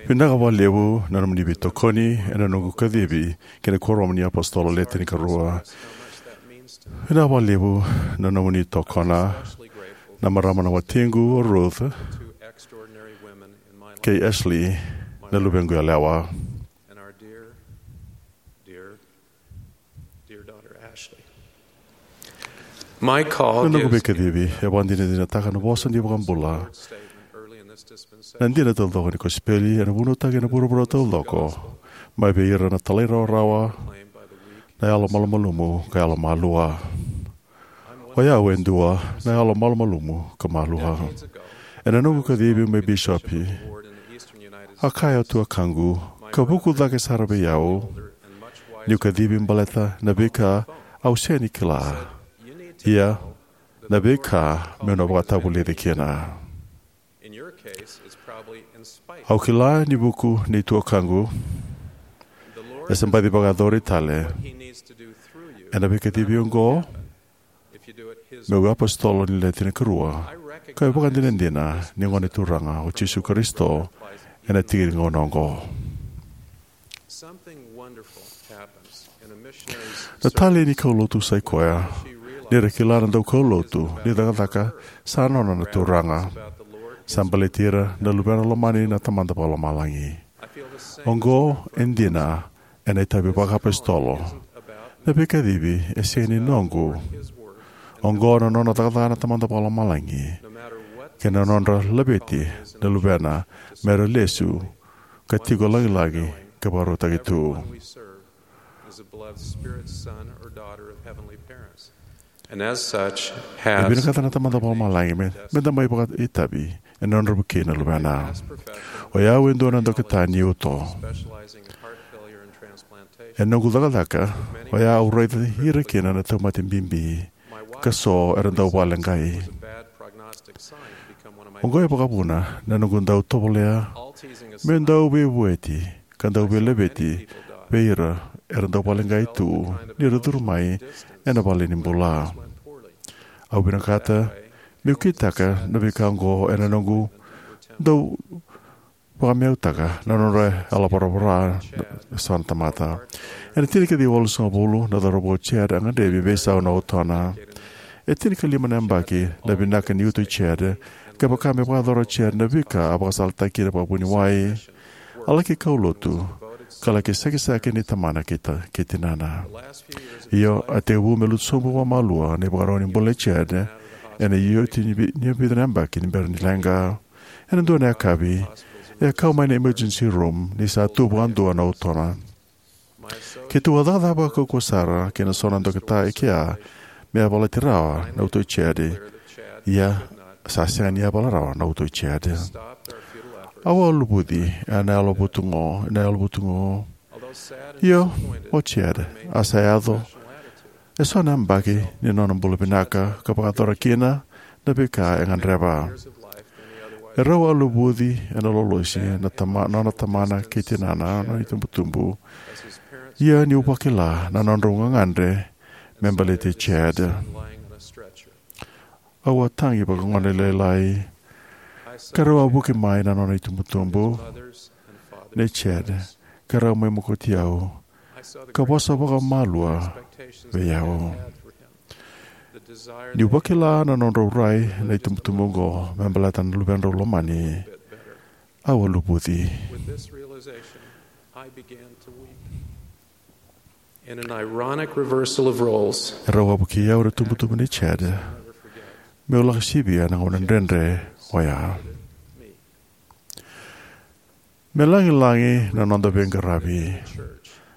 vinaka vakalevu na nomuni veitokoni ena noqu kacivi ki na Kuoramu ni iApositolo Le Tinikarua. Vinaka vakalevu na nomuni tokona na marama na watiqu o Ruth kei Ashley na luvequ yalewa. Na noqu veikacivi e vakadinadinataka na vosa ni iVakabula. Na dina taucoko ni kosipeli ena vunautaki ena vuravura taucoko mai vei ira na talairawarawa, na yalomalumalumu ka yalomalua. O yau e dua na yalomalumalumu ka malua. Ena noqu kacivi me bisopi, a kaya o tuakaqu, ka vuku cake sara vei au, niu kacivi baleta na veika au sega ni kila, ia na veika meu na vakatavulici kina. Au kila ni vuku nei tuakaqu, e sa baci vakayacori tale ena veikacivi oqo meu iApositolo ni Le Tinikarua, kau vakadinadina ni Gone Turaga o Jisu Karisito ena tiki ni gauna oqo. Na talei ni kaulotu sa i koya ni ra kila na daukaulotu ni cakacaka sa nona na Turaga. Sa baleti ira na luvena lomani na Tamada Vakalomalagi. Oqo e dina ena itavi vakaapositolo. Na veikacivi e sega ni noqu. Oqo na nona cakacaka na Tamada Vakalomalagi kei na nodra laveti na luvena me ra lesu ka tiko lagilagi ka vakarautaki tu. And as such, E has vinakata na Tamada Vakalomalagi me, me da mai vakaitavi ena nodra vukei na luvena. O yau e dua na dokita ni uto. Specializing in heart failure and transplantation. E noqu cakacaka, o yau au raici ira kina na tauvimate bibi, ka so era dau vakaleqai. Bad prognostic sign become one of my Oqo e vakavuna na noqu dau tovolea, all teasing aside, me dau veivueti, ka dau veilaveti vei ira era dau vakaleqai tu ni ra curu mai ena vale ni bula. Au vinakata meu kitaka na veika oqo ena noqu dau vakameautaka na nodra yalovoravora eso na tamata. Ena tinikaciwa walusagavulu, na cauravou o Chad a gadrevi me veisau na utona. E tinikalima na yabaki na vinaka ni uto i Chad, ka vaka me vakayacora o Chad na veika a vakasalataki kina vakavuniwai. A laki kaulotu, ka laki sakisaki ni tamana kei ta-, kei tinana. Io, a tekivu me lutu sobu vakamalua na ivakarau ni bula i Chad, ena iotioti ni vi-, ni vica na yabaki ni bera ni leqa. Ena dua na yakavi, e a kau mai na emergency room ni sa tu vakadua na utona. Keitou a cakacaka vakaukauwa sara kei na so na dokita e kea me yavalati rawa na uto i Chad. Ia, sa sega ni yavala rawa na uto i Chad. Au a luvuci ena yalo vutugu, ena yalo vutugu. Io, o Chad a sa yaco eso na yabaki ni nona bula vinaka ka vakayacora kina na veika e gadreva. E rau a luvuci ena lolosi na tama-, nona tamana kei tinana, nona itubutubu. Ia niu vakila na nodrau gagadre me baleti Chad. Au a tagi vakagonelailai, ka rau a vuki mai na nona itubutubu nei Chad, ka rau mai mokoti au, ka vosa vakamalua vei au. Niu vakila na nodrau rai na itubutubu oqo me baleta na luvedrau lomani, au a luvuci. In an ironic reversal of roles, e rau a vukei au na itubutubu nei Chad meu lako sivia na gauna dredre oya. Me lagilagi na noda veiqaravi.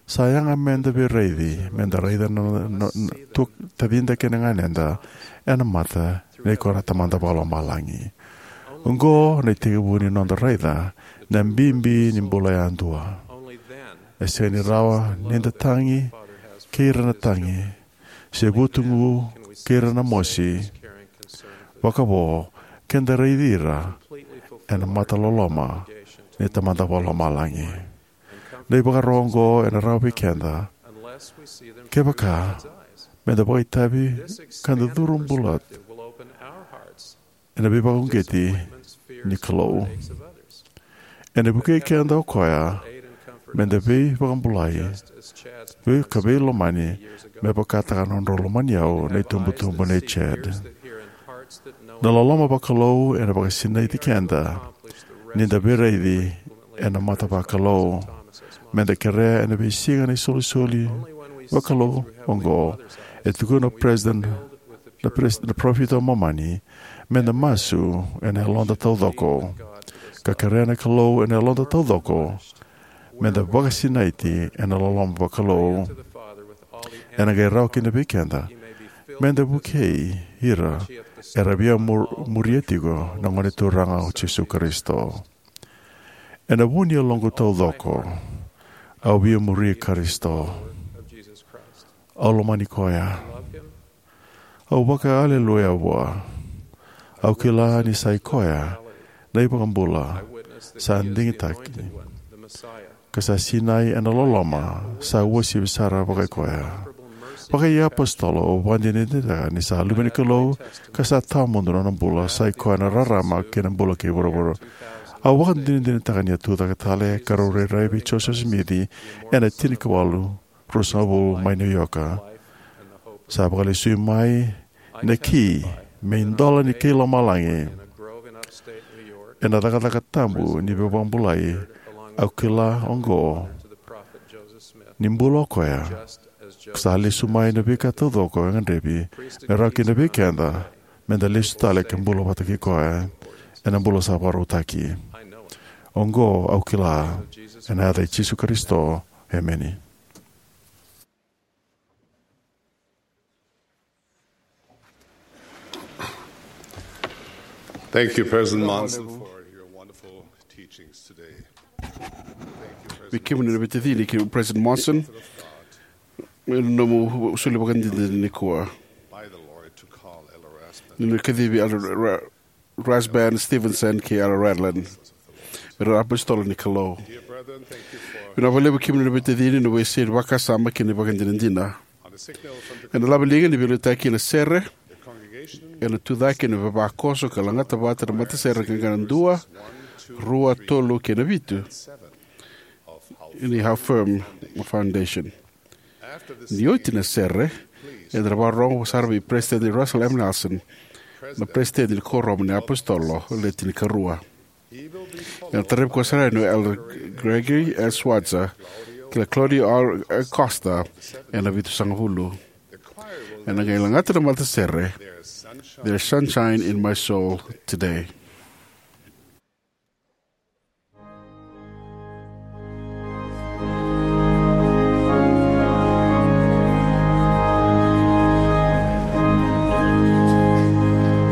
Sa yaga meda veiraici, meda raica na, na, na, tu, tacida kei na ganeda ena mata nei koya na Tamada Vakalomalagi. Oqo na itekivu ni noda raica na bibi ni bula yadua. E sega ni rawa nida tagi kei ira na tagi, se vutugu kei ira na mosi. Vakavo, keda raici ira ena mata loloma ni Tamada Vakalomalagi. Na ivakaro oqo ena rawa vei keda kevaka meda vakaitavi ka da curu bula ena veivakauqeti ni Kalou. Ena vukei keda o koya meda veivakabulai, vei, ka veilomani, me vakataka na nodrau lomani au na itubutubu nei Chad. Na loloma vakalou ena vakasinaiti keda nida veiraici ena mata vakalou. Meda kerea ena veisiga na isolisoli vakalou oqo. E tukuna o President, na pres-, na parofita o Momani, meda masu ena yaloda taucoko, ka kerea na Kalou ena yaloda taucoko meda vakasinaiti ena loloma vakalou. Ena qai rawa kina vei keda meda vukei ira era via mur-, muria tiko na Gone Turaga o Jisu Karisito. Ena vu ni yaloqu taucoko, au via muri Karisito. Au lomani koya. Au vaka aleluya vua. Au kila ni sa i koya na iVakabula sa digitaki, ka sa sinai ena loloma sa uasivi sara vakai koya. Vakaiapositolo, au vakadinadinataka ni sa Luve ni Kalou, ka sa tawamudu na nona bula, sa i koya na rarama kei na bula kei vuravura. Au vakadinadinataka ni a tucake tale ka rau rairai vei Joseph Smith ena tinikawalu ruasagavulu mai New York. Sa vakalesui mai na ki me idola ni kai lomalagi. Ena cakacaka tabu ni veivakabulai, au kila oqo ni bula o koya. Sa lesu mai na veika taucoko e gadrevi me rawa kina vei keda meda lesu tale ka bula vata kei koya ena bula sa vakarautaki. Oqo au kila ena yaca i Jisu Karisito. Emeni. Thank you, President Monson, for your wonderful teachings today. Vei kemuni na veitacini, kei President Monson, me nomu soli vakadinadina nikua. By the Lord to call Elder Rasband. Ni na kacivi Elder Ra-, Rasband Stevenson kei Elder Radlin me ra apositolo ni Kalou. Dear brethren, thank you for Vinaka vakalevu kemuni na veitacini na veisei ni vakasama kei na vakadinadina. On the signal from the Ena lave liga ni veiliutaki na sere, the congregation ena tucake na vavakoso ka lagata vata na matasere qaqa na dua, rua, tolu kei na vitu. Seven of How ni How Firm Foundation. Ni oti na sere, eda na vakarorogo sara vei President Russell M. Nelson, na President ni Kuoramu ni Apositolo Le Tinikarua. Ena taravi koya sara yani o Elder Gregory S. Schwatzer kei Claudio R. Costa ena vitusagavulu. Ena qai lagata na matasere, There's Sunshine in My Soul Today.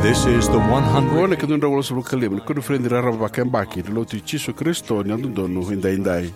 This is the one hundred. Oqo na ikaduadrau walusagavulu ka lima ni koniferedi raraba vakayabaki ni Lotu i Jisu Karisito ni Yalododonu Edaidai.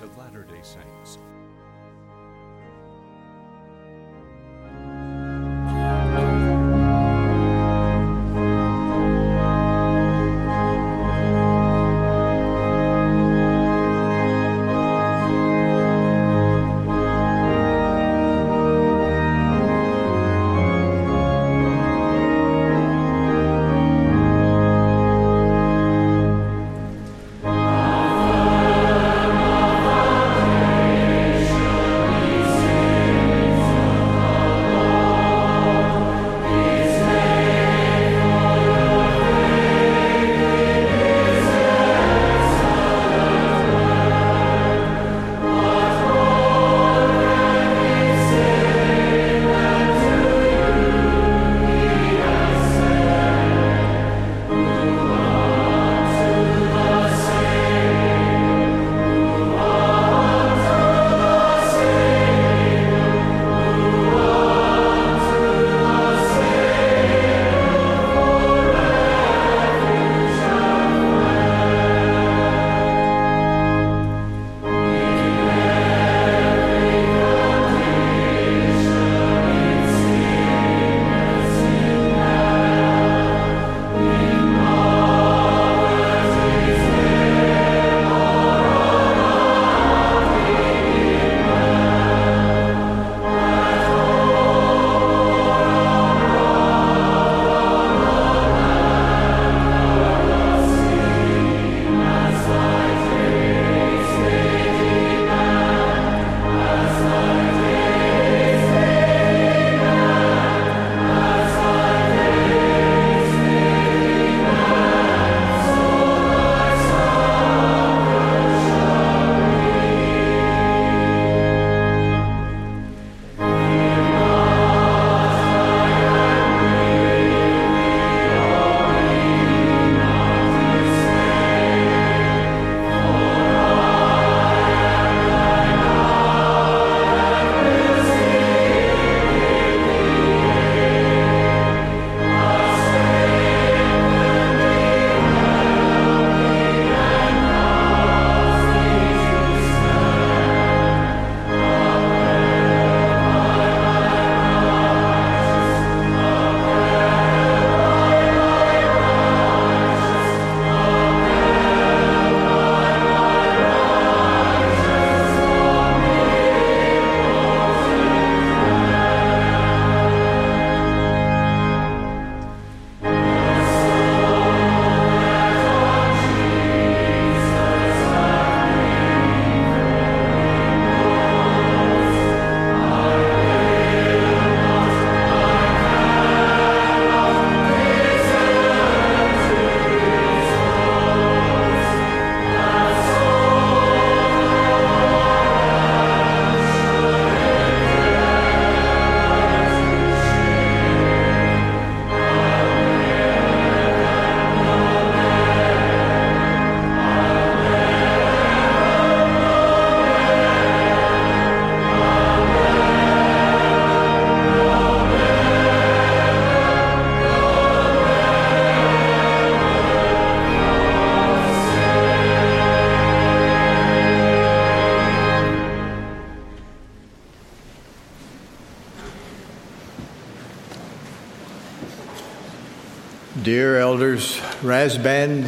Dear Elders Rasband,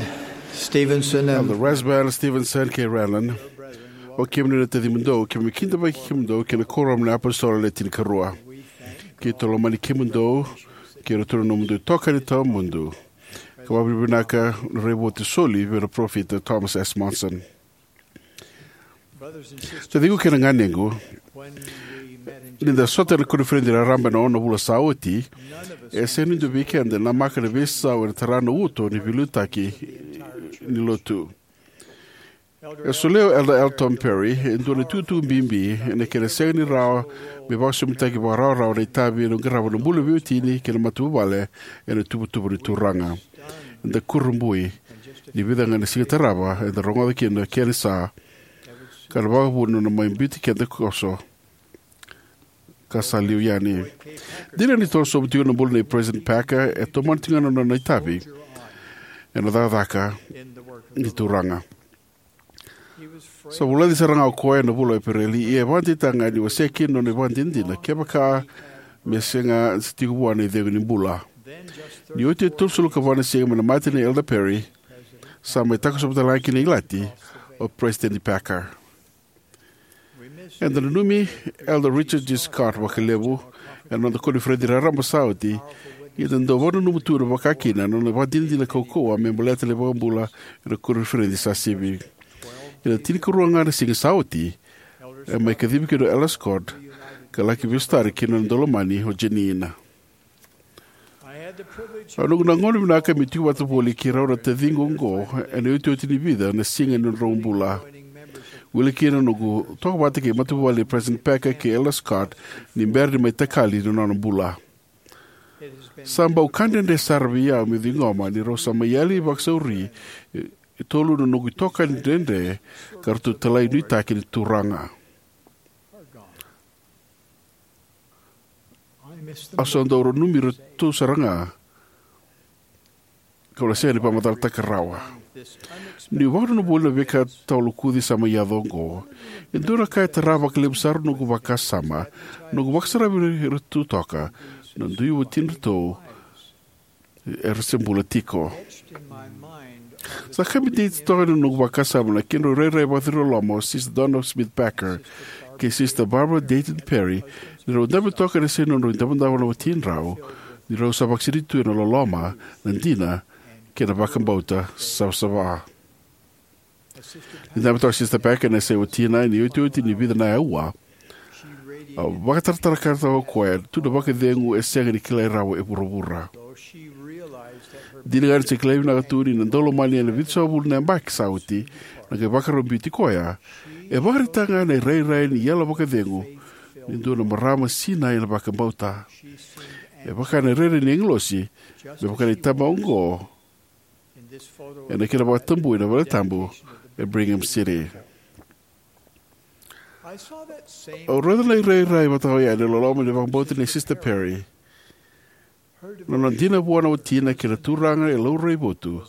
Stevenson, and Elder Rasband, Stevenson, kei Renlund, o kemuni na tacimudou, keimami kidavaki kemudou kei na Kuoramu ni iApositolo Le Tinikarua. Keitou lomani kemudou kei iratou na nomudou itokani tawamudu, ka vakavinavinaka na raivotu soli vei ira na parofita Thomas S. Monson. Taciqu kei na ganequ, ni da sota ena koniferedi raraba ena ono na vula sa oti, e sega ni dua vei keda e namaka na veisau ena tara na uto ni veiliutaki ni Lotu. E solia o Elder L. Tom Perry e dua na itukutuku bibi ena kena sega ni rawa me vakasomitaki vakarawarawa na itavi ena qarava na bula veiwatini kei na matavuvale ena ituvatuva ni Turaga. Eda kurabui ni vica ga na siga tarava eda rogoca kina na kena isa, ka na vakavuna na mai biuti keda koso ka sa liu yani. Dina ni torosobu tiko na bula nei President Packer, e tomana tiko ga na nona itavi ena cakacaka ni Turaga. Sa vulaci sara ga o koya ena vula o Epereli, ia e vakadeitaka ga ni wasea kina na nona ivakadinadina kevaka me sega ni tiko vua na icegu ni bula. Ni oti e tolusagavulu ka va na siga mai na mate nei Elder Perry, sa mai takosova tale ga kina na ilati o President Packer. Eda nanumi Elder Richard G. Scott vakalevu ena noda koniferedi raraba sa oti, ia eda dau vakananuma tu vakakina na nona ivakadinadina kaukauwa me baleta na iVakabula ena koniferedi sa sivi. Ena tinikarua ga na siga sa oti, e mai kacivi kina o Elder Scott ka laki veisotari kei na nona daulomani o Jeanene. Au nanuma na gauna vinaka meu tiko vata voli kei rau na taciqu oqo ena iotioti ni vica na siga ni nodrau bula. Wili kina na noqu toka vata kei matavuvale nei President Packer kei Elder Scott ni bera ni mai takali na nona bula. Sa bau ka dredre sara vei au meu ciqoma ni rau sa mai yali vakasauri e tolu na noqu itokani dredre ka ratou talai nuitaki ni Turaga. Au sa dau nanumi iratou sara ga, kau na sega ni vakamacalataka rawa. Niu vakananuma voli na veika tawa lokuci sa mai yaco oqo, e dua na ka e tara vakalevu sara na noqu vakasama, na noqu vakasaravi iratou toka na dui watidratou era se bula tiko. Sa ka bibi toka ena noqu vakasama na kedrau rairai vakaciriloloma o Sister Donna Smith Packer kei Sister Barbara Dayton Perry, ni rau dabe toka ena siga ni nodrau idavodavo na watidrau, ni rau sa vakasinaiti tu ena loloma, na dina, kei na vakabauta savasava. Ni dabe toka o Sister Packer ena yasai watina, ena iotioti ni vica na aua, a vakataratara ka toka o koya tu na vakacegu e sega ni kilai rawa e vuravura. Dina ga ni se kilai vinaka tu ni na daulomani ena vitusagavulu na yabaki sa oti na qai vakarau biuti koya, e vakaraitaka ga na irairai ni yalo vakacegu ni dua na marama sinai ena vakabauta. E vaka na irairai ni agilosi, me vaka na itaba oqo ena kena vakatabui na valetabu e Brigham City. Au raica na irairai vata oya ena loloma ni vakabauta nei Sister Perry, na nona dina vua na watina kei na Turaga e laurai votu,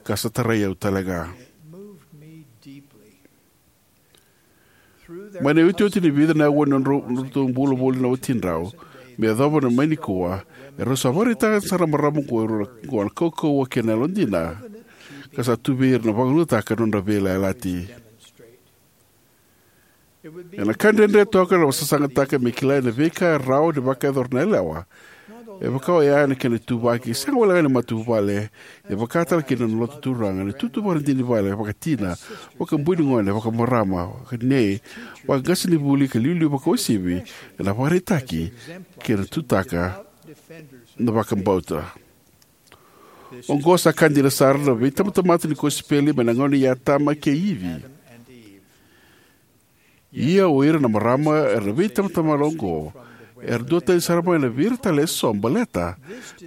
ka sa tarai au tale ga. Mai na iotioti ni vica na aua ni nodratou bula voli na watidrau me yacova mai nikua, erau sa vakaraitaka sara na marama oqo na kaukauwa kei na yalodina, ka sa tu vei ira na vakalougatataka na nodra veiyalayalati. Ena ka dredre toka na sasagataka me kilai na veika e rawa ni vakayacora na yalewa. E vaka oya ena kena ituvaki, sega walega ni matavuvale, e vaka tale kina na lotu Turaga, na itutu vakaidina ni vale, vakatina, vakabui ni gone, vakamarama, vakanei, vakaqasenivuli ka iliuliu vakauasivi, ena vakaraitaki kei na tutaka na vakabauta. Oqo sa ka dina sara na veitabatamata ni kosipeli mai na gauna i Atama kei Ivi. Ia o ira na marama era na veitabatamata oqo, era duatani sara mai na vei ira tale eso baleta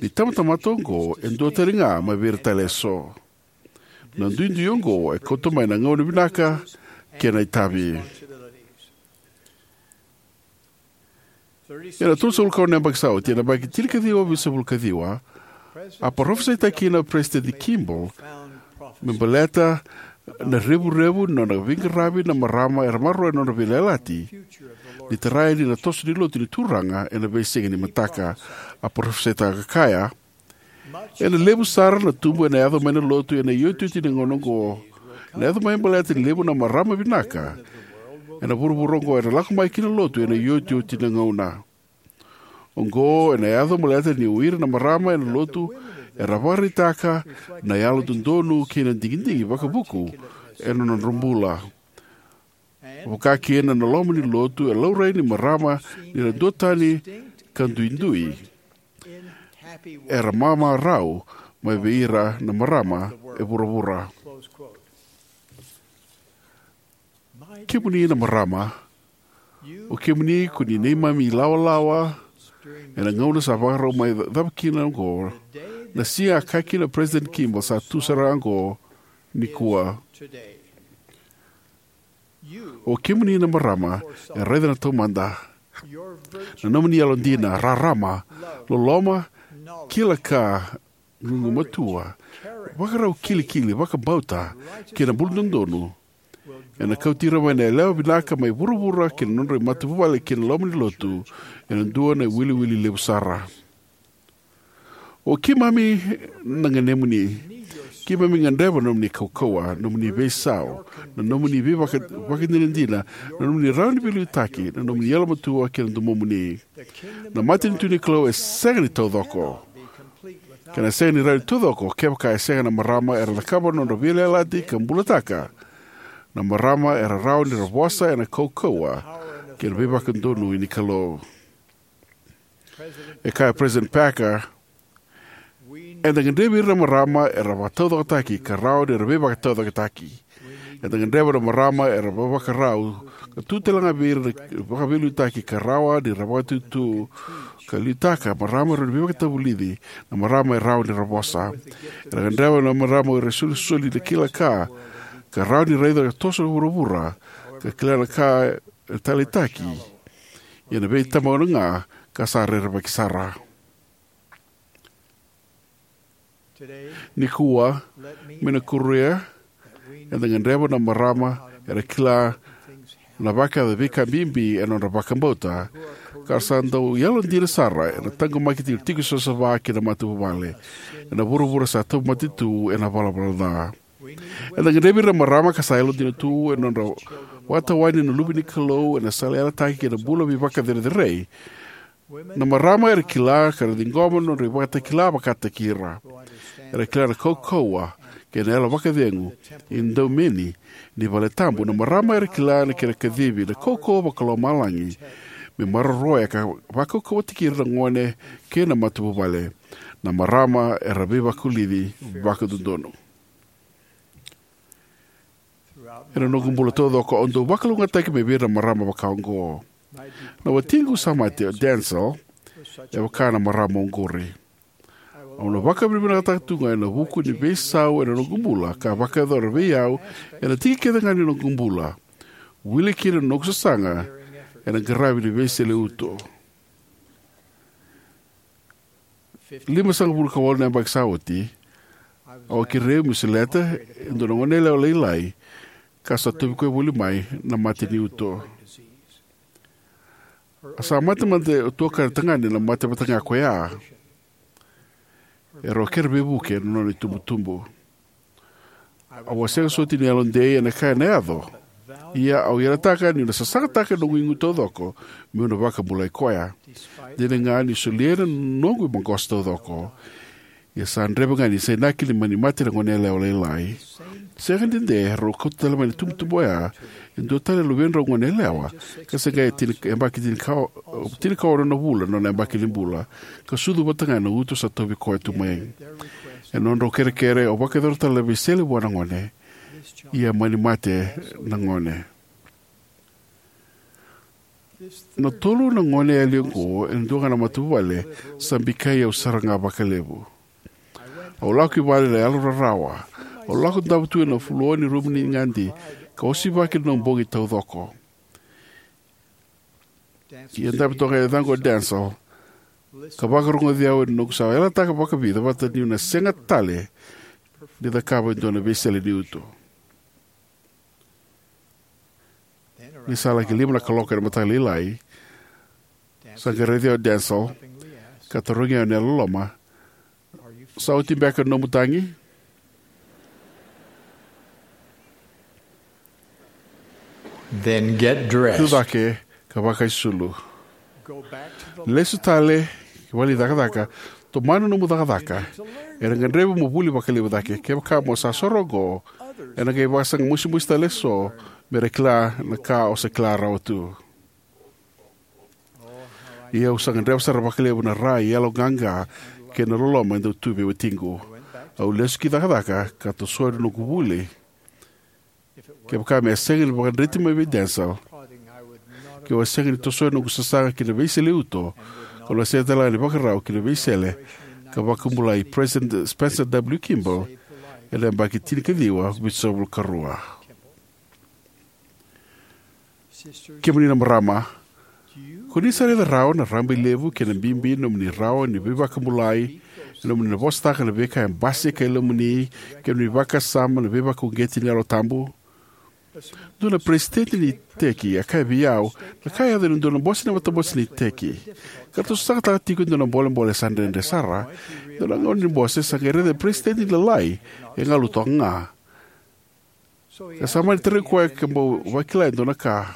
ni tabatamata oqo e duatani ga mai vei ira tale eso. Na duidui oqo e kauta mai na gauna vinaka kei na itavi. Ena tolusagavulu ka ono na yabaki sa oti, ena yabaki tinikaciwa vitusagavulu kaciwa, a parofisaitaka kina o Peresitedi Kimball me baleta na revurevu ni nona veiqaravi na marama era maroroya na nodra veiyalayalati, ni tara yani na toso ni lotu ni Turaga ena veisiga ni mataka. A parofisaitaka ka kaya, Ena levu sara na tubu ena yaco mai na lotu ena iotioti ni gauna oqo. Ena yaco mai baleta ni levu na marama vinaka ena vuravura oqo era lako mai ki na lotu ena iotioti ni gauna oqo. Ena yaco baleta ni o ira na marama ena lotu era vakaraitaka na yalododonu kei na digidigi vakavuku ena nodra bula. Vakakina na loma ni lotu e laurai ni marama ni ra duatani ka duidui. Era mamarau mai vei ira na marama e vuravura. Kemuni na marama, o kemuni ko ni neimami ilawalawa ena gauna sa vakarau mai cava kina oqo, na siga a kaya kina o President Kimball sa tu sara oqo nikua. O kemuni na marama e raica na taumada. Na nomuni yalodina, rarama, loloma, kila ka, gugumatua, vakarau kilikili, vakabauta, kei na buladodonu ena kauti ira mai na yalewa vinaka mai vuravura ki na nodra matavuvale ki na loma ni lotu ena dua na iwiliwili levu sara. O keimami na ganemuni. Keimami gadreva na nomuni kaukauwa, nomuni veisau, na nomuni veivakadinadina, na nomuni rawa ni veiliutaki, na nomuni yalomatua kei na domomuni. Na matanitu ni Kalou e sega ni taucoko. Ka na sega ni rawa ni taucoko kevaka e sega na marama era cakava na nodra veiyalayalati ka bulataka. Na marama era rawa ni ra vosa ena kaukauwa kei na veivakadonui ni Kalou. E kaya o President Packer, eda gadrevi ira na marama era vakataucokotaki ka rawa ni ra veivakataucokotaki. Eda gadreva na marama era vakavakarau ka tu tale ga vei ira na vakaveiliutaki ka rawa ni ra vakatutu ka liutaka marama era veivakatavulici, na marama e rawa ni ra vosa. Era gadreva na marama era isolisoli na kila ka, ka rawa ni raica ka toso vuravura ka kila na ka e taleitaki. Ia na veitamauna ga ka sa rerevaki sara. Nikua, me na kuria, eda gadreva na marama era kila na vakayaco veika bibi ena nodra vakabauta, ka ra sa dau yalodina sara ena taqomaki tiko tiko savasava kei na matavuvale ena vuravura sa tauvimate tu ena valavala ca. Eda gadrevi ira na marama ka sa yalodina tu ena nodra vakatawani na luve ni Kalou ena sala yalataki kei na bula veivakacerecerei. Na marama era kila ka ra ciqoma na nodra ivakatakila vakataki ira. Era kila na kaukauwa kei na yalo vakacegu, idaumeni ni vale tabu. Na marama era kila na kena kacivi na kaukauwa vakalomalagi me maroroya ka vakaukauwataki ira na gone kei na matavuvale. Na marama era veivakulici vakadodonu. Ena noqu bula taucoko au dau vakalougatataki mai vei ira na marama vaka oqo. Na watiqu sa mate o Denzil e vaka na marama oqori. Au na vakavinavinakataka tu ga ena vuku ni veisau ena noqu bula ka vakayacora vei au ena tiki kece ga ni noqu bula, wili kina na noqu sasaga ena qaravi ni veisele uto. Limasagavulu ka walu na yabaki sa oti, au a kerei au meu seleta e dua na goneyalewa lailai ka sa tauvi koya voli mai na mate ni uto. A sa mate mada o tuakana tagane na mate vata ga koya. Erau kere veivuke na nona itubutubu. Au a sega soti ni yalodei ena ka ena yaco. Ia au yalataka niu na sasagataka na noqu igu taucoko meu na vakabulai koya. Dina ga niu solia na noqu maqosa taucoko, ia sa dreve ga ni sa inaki ni mani mate na goneyalewa lailai. Sega ni dede, rau kauta tale mai na itubutubu oya e dua tale na luvedrau goneyalewa, ka se qai tini, yabaki tinikaono na vula na nona yabaki ni bula, ka sucu vata ga ena uto sa tauvi koya tu mai. Ena nodrau kerekere au vakayacora tale na veisele vua na gone. Ia mani mate na gone. Na tolu na gone yali oqo ena dua ga na matavuvale sa bikai au sara ga vakalevu. Au lako i vale ena yalo rarawa. Au lako davo tu ena floor ni rumu ni gadi ka osivaki na noqu bogi taucoko. Ia dabe toka e yacaqu o Denzil ka vakarogoci au ena noqu sa yalataka vakavica vata niu na sega tale ni cakava e dua na veisele ni uto. Ni sa laki lima na kaloko ena mataka lailai, sa qai raici au o Denzil ka tarogi au ena yalololoma, Sa oti beka na nomu tagi? Then get dressed. Tu cake ka vakaisulu. Lesu tale ki vale ni cakacaka. Tomana nomu cakacaka. Ena gadrevi mo vuli vakalevu cake. Kevaka mo sa soro oqo, ena qai vakasaga mosimosi tale eso me ra kila na ka o sa kila rawa tu. Ia au sa gadreva sara vakalevu na rai, yaloqaqa kei na loloma e dau tu vei watiqu. Au lesu ki cakacaka ka tosoya na noqu vuli. Kevaka me a sega ni vakadreti mai vei Denzel, keu a sega ni tosoya na noqu sasaga ki na veisele uto, kau na sega tale ga ni vakarau ki na veisele ka vakabulai President Spencer W. Kimball ena yabaki tinikaciwa vitusagavulu ka rua. Kemuni na marama, ko ni sa raica rawa na rabailevu kei na bibi ni nomuni rawa ni veivakabulai ena nomuni na vosataka na veika e basika e lomamuni kei na nomuni vakasama na veivakauqeti ni Yalo Tabu? Dua na peresitedi ni iteki a kaya vei au, na ka e yaco ena dua na bose ni matabose ni iteki, ka ratou sasagataka tiko e dua na bolebole sa dredre sara. Dua na gauna ni bose sa qai raica na peresitedi lalai e galu toka ga, ka sa mani tarai koya ke bau vakila e dua na ka.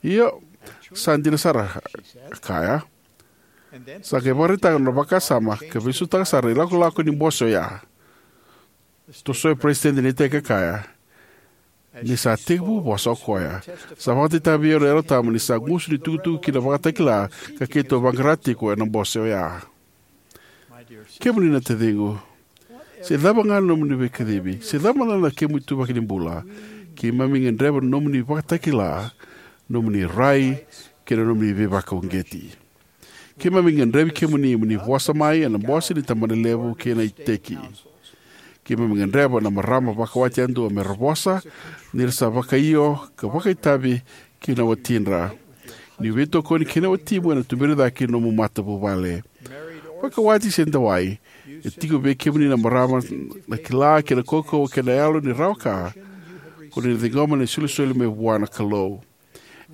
Io, sa dina sara, a kaya. Sa qai vakaraitaka na nona vakasama ka veisautaka sara na ilakolako ni bose oya. Tosoya na peresitedi ni iteki, a kaya, ni sa tekivu vosa o koya. Sa vakadeitaka vei au na Yalo Tabu ni sa gusu ni tukutuku ki na ivakatakila ka keitou vaqara tiko ena bose oya. Kemuni na taciqu, se cava ga na nomuni veikacivi, se cava mada na kemu ituvaki ni bula, keimami gadreva na nomuni ivakatakila, nomuni rai, kei na nomuni veivakauqeti. Keimami gadrevi kemuni mo ni vosa mai ena bose ni tabanalevu kei na iteki. Keimami gadreva na marama vakawati yadua me ra vosa, ni ra sa vakaio ka vakaitavi kei na watidra. Ni veitokoni kei na watimu ena tuberi cake na nomu matavuvale. Vakawati se dawai, e tiko vei kemuni na marama na kila kei na kaukauwa kei na yalo ni rawa ka ko ni na ciqoma na isolisoli mai vua na Kalou.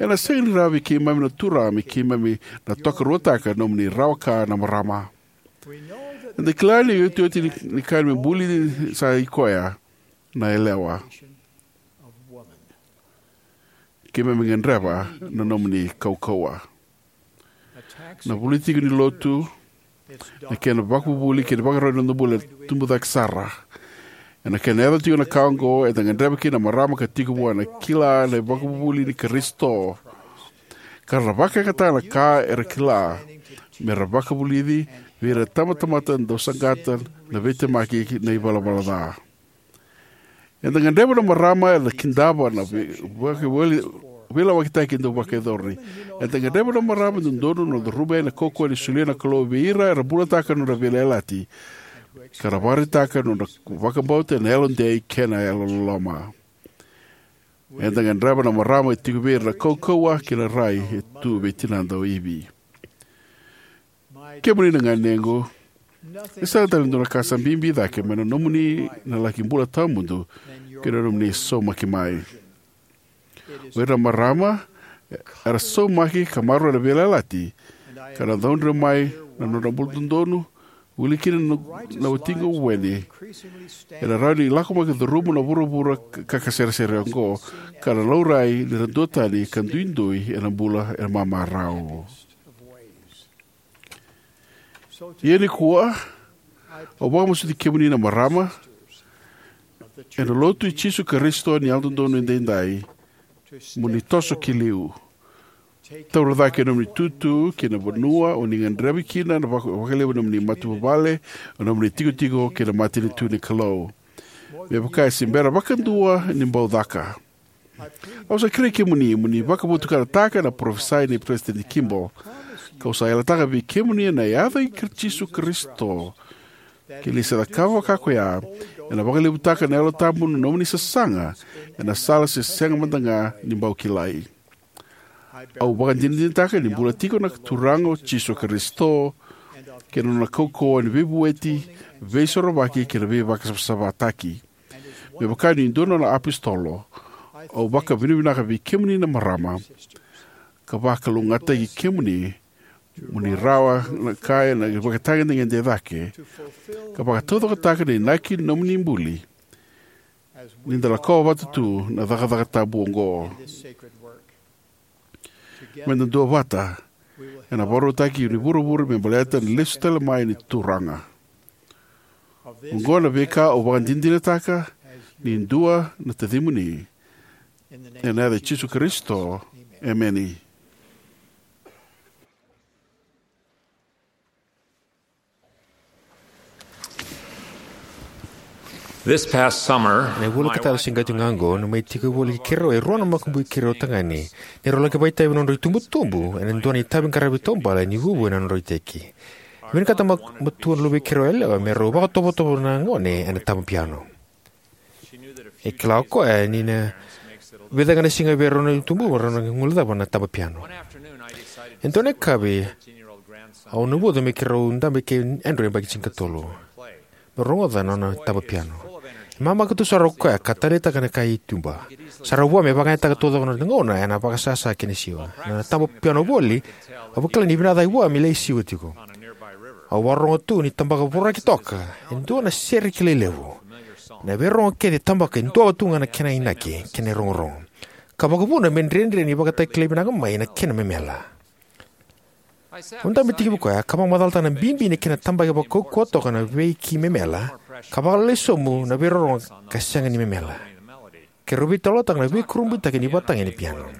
Ena sega ni rawa vei keimami na Turaga me keimami na tokaruataka na nomuni rawa ka na marama. Eda kila ni iotioti ni, ni ka me buli ni sa i koya na yalewa. Keimami gadreva na nomuni kaukauwa. Na vuli tiko ni lotu, na kena vakavuvuli kei na vakarau ni noda bula e tubu cake sara. Ena kena yaco tiko na ka oqo, eda gadreva kina na marama ka tiko vua na kila na ivakavuvuli ni Karisito, ka ra vakayagataka na ka era kila me ra vakavulici vei ira na tabatamata dau saqata na veitemaki na ivalavala ca. Eda gadreva na marama era kidava na vei-, vaka-, vei-, veilawakitaki dau vakayacori. Eda gadreva na marama e dodonu na curuma yani na kaukauwa ni solia na Kalou vei ira era bulataka na nodra veiyalayalati, ka ra vakaraitaka na nodra vakabauta ena yalodei kei na yalololoma. Eda gadreva na marama e tiko vei ira na kaukauwa kei na rai e tu vei tinada o Ivi. Kemuni na ganequ, e sega tale ni dua na ka sa bibi cake mai na nomuni na laki bula tawamudu kei na nomuni saumaki mai. O ira na marama era saumaki ka maroroya na veiyalayalati, ka na caudre mai na nodra bula dodonu, wili kina na, na watiqu o Wendy. Era rawa ni lako mai ka curuma na vuravura ka, ka, kasaresare oqo, ka na laurai ni ra duatani ka duidui ena bula ena mamarau. Ia nikua, au vakamasuti kemuni na marama ena Lotu i Jisu Karisito ni Yalododonu Edaidai, mo ni toso ki liu. Taura cake na nomuni itutu kei na vanua o ni gadrevi kina, na vaka-, vakalevu na nomuni matavuvale, na nomuni tikotiko kei na matanitu ni Kalou. Me vaka e se bera vakadua ni bau caka. Au sa kerei kemuni mo ni vakavotukanataka na parofisai nei Peresitedi Kimball. Kau sa yalataka vei kemuni ena yaca i Kar-, Jisu Karisito, ke ni sa cakava vaka koya, ena vakalevutaka na Yalo Tabu na nomuni sasaga ena sala se sega mada ga ni bau kilai. Au vakadinadinataka ni bula tiko na Turaga o Jisu Karisito, kei na nona kaukauwa ni veivueti, veisorovaki kei na veivakasavasavataki. Me vaka ni dua na nona apositolo, au vakavinavinaka vei kemuni na marama, ka vakalougatataki kemuni Mo ni rawa na ka ena ivakatagedegede e cake, ka vakataucokotaka na inaki ni nomuni buli, ni da lakova vata tu na cakacaka tabu oqo. Me da duavata, ena vakarautaki ni vuravura me baleta na lesu tale mai ni Turaga. Oqo na veika au vakadinadinataka ni dua na tacimuni. Ena yaca i Jisu Karisito, emeni. This past summer, na vula ka taca se qai tu ga oqo, na mai tiko voli keirau e rua na makubui keirau tagane, ni rau laki vakaitavi na nodrau itubutubu ena dua na itavi qaravi taubale ni vuvu ena nodrau iteki. Vinakata ma-, matua na luvei keirau yalewa me rau vakatovotovo na gone ena taba piano. E kila o koya ni na vica ga na siga vei rau na itubutubu rau na guilecava na taba piano. E dua na yakavi, au navuca me keirau dabe kei Andrew, yabaki tinikatolu, me rogoca na nona taba piano. E mamaka tu sara o koya ka taleitaka na ka e tuba. Sa rau vua me vakayagataka taucoko na gauna ena vakasasa kei na siwa. Na taba piano voli, au vakila ni vinaka cake vua me lai siwa tiko. Au vakarorogo tu ni tabaka voraki toka e dua na sere kilai levu. Na veirogo kece tabaka e dua tu ga na kena inaki kei na irogorogo, ka vakavuna me dredre ni vakatakilai vinaka mai na kena memela. Au dabe tiko vei koya ka vakamacalataka na bibi ni kena tabaki vakaukauwa toka na veiki memela, ka vakalailai sobu na veirorogo ka sega ni memela. Keirau veitalataka na veikurabuitaki ni ivakatagi ni piano.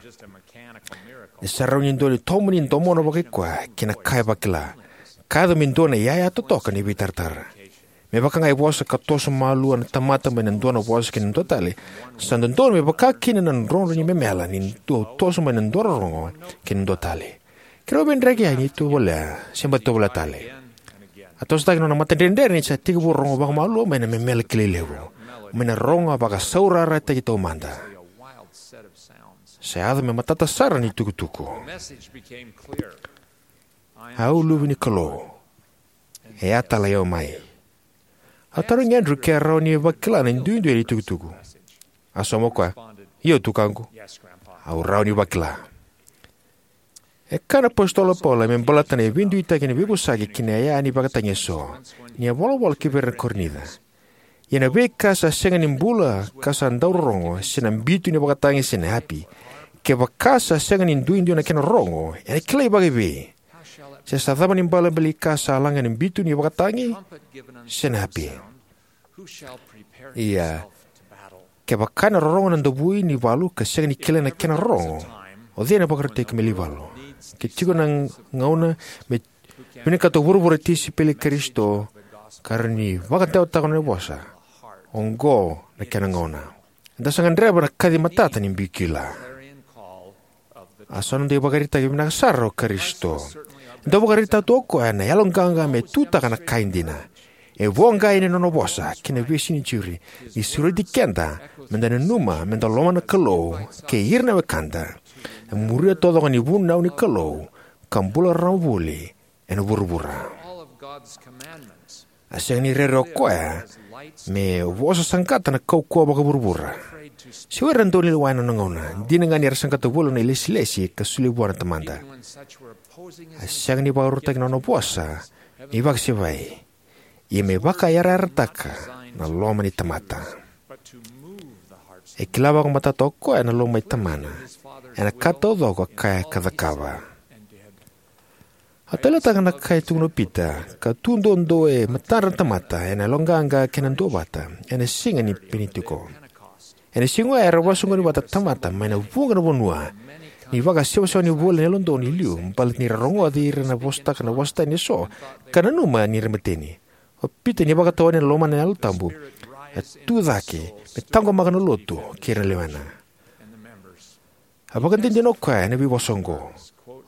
Ni sa rawa ni dua na itomani domona vakaikoya kei na ka e vakila, ka yaco me dua na iyaya totoka ni veitaratara. Me vaka ga e vosa ka toso malua na tamata mai na dua na vosa ki na dua tale, sa dodonu me vaka kina na drodro ni memela ni dua toso mai na dua rorogo ki na dua tale. Keirau veidraki yani, tovolea se bati tovolea tale. A tosotaki na nona matadredre ni sa tekivu rogo vakamalua mai na memela kilai levu, mai na rogo a vakasaurarataki taumada. Sa yaco me matata sara ni tukutuku. Au luve ni Kalou, e a talai au mai. A tarogi Andrew ke a rawa ni vakila na duidui ni tukutuku. A sauma o koya, "Io, tukaqu. Au rawa ni vakila." E kaya na apositolo o Paula me baleta na veiduitaki ni veivosaki kei na iyaya ni ivakatagi eso, ni a volavola ki vei ira na Korinica: "Ia na veika sa sega ni bula ka sa dau rorogo, se na bitu ni ivakatagi se na api, kevaka sa sega ni duidui na kena rorogo, ena kilai vakaevei? Se sa cava na ibalebale ni ka sa laga ena bitu ni ivakatagi se na api? Ia, kevaka ena rorogo na davui ni valu ka sega ni kilai na kena rorogo, o cei ena vakarautaki me lai valu?" Ke tiko na gauna me vinakata o vuravura na tisaipeli i Karisito, ka rawa ni vakadewataka na nona vosa, oqo na kena gauna. Eda sa gadreva na kaci matata ni bikila. A sa noda ivakaraitaki vinaka sara o Karisito. E dau vakaraitaka tu o koya na yaloqaqa me tutaka na ka e dina. E voqa yani na nona vosa ki na veisiga ni Jeri, ni sureti keda me da nanuma me da lomana na Kalou kei ira na wekada, e muria taucoko na ivunau ni Kalou, ka bula rarama voli ena vuravura. A sega ni rere o koya me vosa saqata na kaukauwa vakavuravura, se o ira na daunilewa ena nona gauna, dina ga ni ra saqata voli na ilesilesi ka solia vua na Tamada. A sega ni vakarautaki na nona vosa me ivakasevai, ia me vakayarayarataka na loma ni tamata. E kila vakamatata o koya na loma i Tamana ena ka taucoko a kaya ka cakava. A taleitaka na ka e tukuna o Pita, ka tu duadua e matadra na tamata ena yaloqaqa kei na duavata ena siga ni Penitiko. Ena siga oya era vakasoqoni vata na tamata mai na vuqa na vanua, ni vakasewasewani voli na yalododonu e liu, baleta ni ra rogoci ira na vosataka na vosa tani eso, ka nanuma ni ra mateni. O Pita, ni vakatawani ena lomana na Yalo Tabu, a tu cake me taqomaka na lotu kei ira na lewena. A vakadinadina o koya ena veivosa oqo: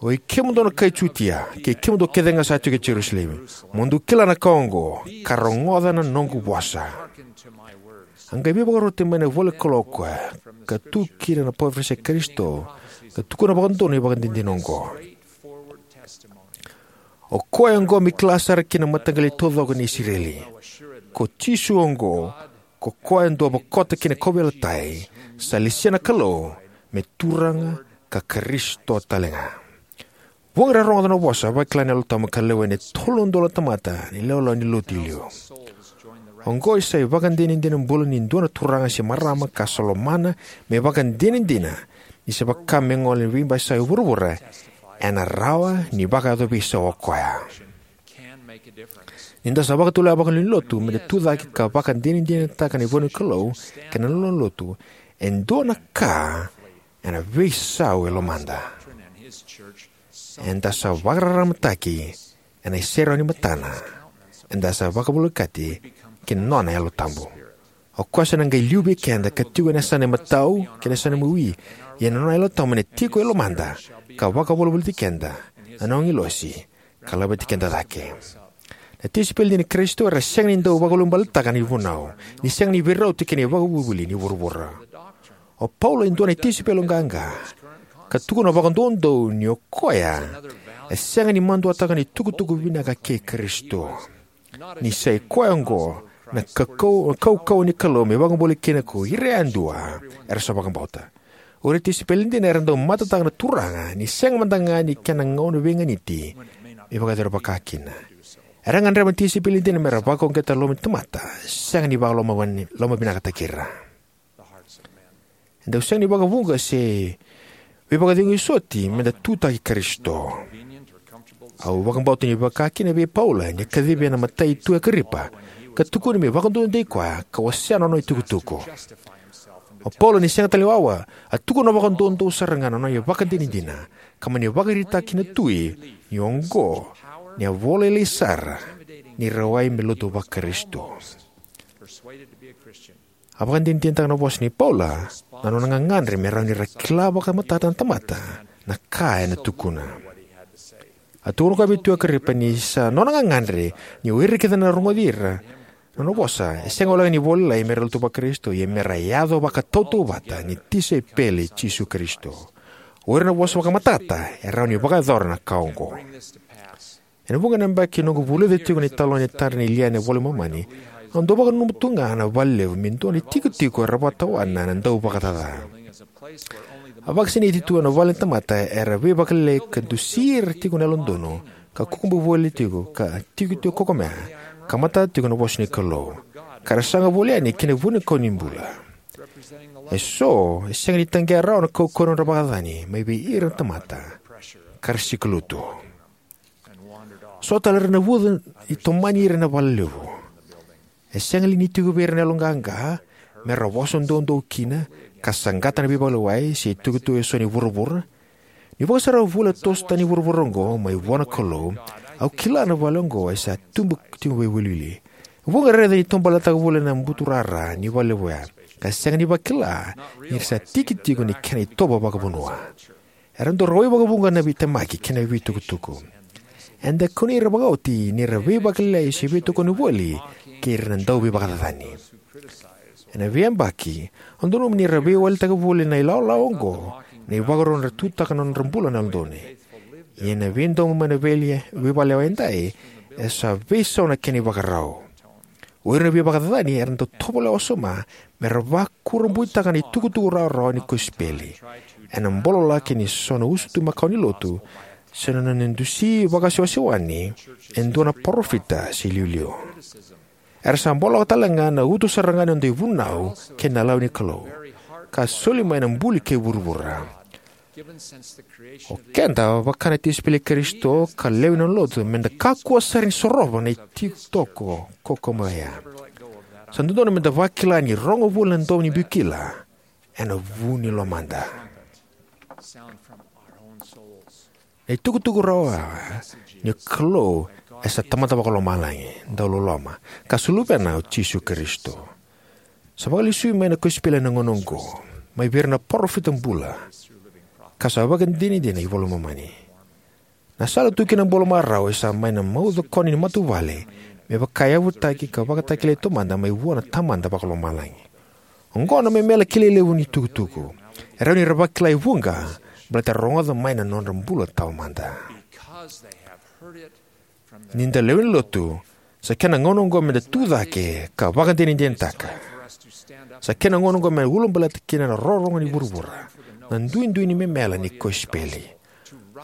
"Oi kemudou na kai Jutia, kei kemudou kece ga sa tiko e Jerusalemi, mo dou kila na ka oqo, ka rogoca na noqu vosa." A qai veivakaroti mai na ivolanikalou o koya, ka tu kina na parofisai Karisito, ka tukuna vakadodonu na ivakadinadina oqo: "O koya oqo me kila sara kina na mataqali taucoko ni Isireli, ko Jisu oqo, ko koya dou a vakota kina kauveilatai, sa lesia na Kalou me Turaga ka Karisito tale ga." Vuqa era rogoca na vosa, vakila na Yalo Tabu, ka lewena e tolu na udolu na tamata na ilawalawa ni lotu i liu. Oqo e sa ivakadinadina bula ni dua na turaga se marama ka sa lomana me ivakadinadina ni se vaka me gole na veibasai e vuravura, ena rawa ni vakayaco veisau o koya. Ni da sa vakatulewa vakalewe ni lotu me da tucake ka vakadinadinataka na ivolanikalou kei na nona lotu, e dua na ka ena veisau e lomada. Eda sa vakararamataki ena iserau ni matana. Eda sa vakavolekati ki na nona Yalo Tabu. O koya sa na qai liu vei keda ka tiko ena yasana imatau kei na yasana imawi. Ia na nona Yalo Tabu ena tiko e lomada, ka vakavolivoliti keda na nona agilosi, ka laveti keda cake. Na tisaipeli dina i Karisito era sega ni dau vakalougatataka na ivunau ni sega ni veirauti kei na ivakavuvuli ni vuravura. O Paula e dua na tisaipeli qaqa, ka tukuna vakadoudou ni o koya e sega ni maduataka na itukutuku vinaka kei Karisito, ni sa i koya oqo na kaukau, kaukauwa ni Kalou me vakabulai kina ko ira yadua era sa vakabauta. O ira na tisaipeli dina era dau matataka na Turaga ni sega mada ga ni kena gauna veiganiti me vakayacori vakakina. Era gadreva na tisaipeli dina me ra vakauqeta na loma ni tamata, sega ni vakaloma, lomavinakataki ira. E dau sega ni vakavuqa se veivakacegui soti me da tutaki Karisito. Au vakabauta ni vakakina vei Paula ni a kacivi ena matai Tui Akaripa, ka tukuni me vakadodonutaki koya ka wasea na nona itukutuku. O Paula ni sega tale ni wawa, a tukuna vakadoudou sara ga na nona ivakadinadina, ka mani vakaraitaka ki na tui ni oqo na ivola lailai sara ni rawai me lotu vaKarisito. A vakadinadinataka na vosa nei Paula na nona gagadre me rawa ni ra kila vakamatata na tamata na ka ena tukuna. A tukuna koya vei Tui Akaripa ni sa nona gagadre ni o ira kece na rogoci ira na nona vosa, e sega walega ni vo lailai me ra lotu vaKarisito, ia me ra yaco vakatautauvata ni tisaipeli i Jisu Karisito. O ira na vosa vakamatata e rawa ni vakayacora na ka oqo. Ena vuqa na yabaki noqu vulica tiko na italanoa ni tadra nei Liane ena iVola i Momani, au dau vakananuma tu ga na valelevu me dua na itikotiko era vakatawana na dauvakacaca. A vakasinaiti tu ena vale ni tamata era veivakalialiai ka dusi ira tiko na yalododonu, ka kukuba voli tiko, ka tiko tiko kokomea, ka matata tiko na vosa ni Kalou, ka ra saga voli yani ki na vunikau ni bula. Eso e sega ni taqea rawa na kaukauwa ni nodra vakacacani mai vei ira na tamata, ka ra sikalutu. So tale era navuca ni tomani ira ena valelevu. E sega li ni tiko vei ira na yaloqaqa me ra vosa doudou kina, ka saqata na veivakalewai se itukutuku eso ni vuravura? Ni vakasarava vula e toso tani vuravura oqo mai vua na Kalou, au kila na vale oqo e sa tubu tiko vakaiwiliwili. Vuqa era raica ni tobaletaka voli na buturara ni valelevu oya, ka sega ni vakila ni ra sa tiki tiko ni kena itovo vakavanua. Era dau rawai vakavuqa na veitemaki kei na veitukutuku. Eda kunei ira vakaoti ni ra veivakalialiai se veitokoni voli kei ira na dauveivakacacani. Ena veiyabaki, au nanuma ni ra veiwalitaka voli na ilawalawa oqo na ivakarau era tutaka na nodra bula na yalododonu. Ia na veidomo mai na veivakalewai edai e sa veisau na kena ivakarau. O ira na veivakacacani era dau tovolea wasoma me ra vakurabuitaka na itukutuku rawarawa ni kosipeli ena bololaki ni so na usutu makawa ni lotu, se na nona dusi vakasewasewani e dua na parofita se iliuliu. Era sa bololaka tale ga na uto sara ga ni noda ivunau kei na lewa ni Kalou, ka soli mai na buli kei vuravura. O keda, vaka na tisaipeli i Karisito ka lewe ni nona lotu, meda kakua sara ni sorova na ititoko kaukaua oya. Sa dodonu meda vakila ni rogo voli na domo ni biu kila ena vu ni lomada. Na itukutuku rawa ni Kalou e sa Tamada Vakalomalagi, dauloloma, ka sa Luvena o Jisu Karisito. Sa vakalesui mai na kosipeli ena gauna oqo mai vei ira na parofita bula, ka sa vakadinadina ena iVola i Momani. Na sala tu kina na bula marau e sa mai na maucokoni ni matavuvale me vakayavutaki ka vakatakilai taumada mai vua na Tamada Vakalomalagi. Oqo na memela kilai levu ni tukutuku e rawa ni ra vakila e vuqa, baleta ra rogoca mai na nodra bula taumada. Ni da lewe ni lotu, sa kena gauna oqo meda tu cake ka vakadinadinataka. Sa kena gauna oqo me ulabaleta kina na rorogo ni vuravura na duidui ni memela ni kosipeli.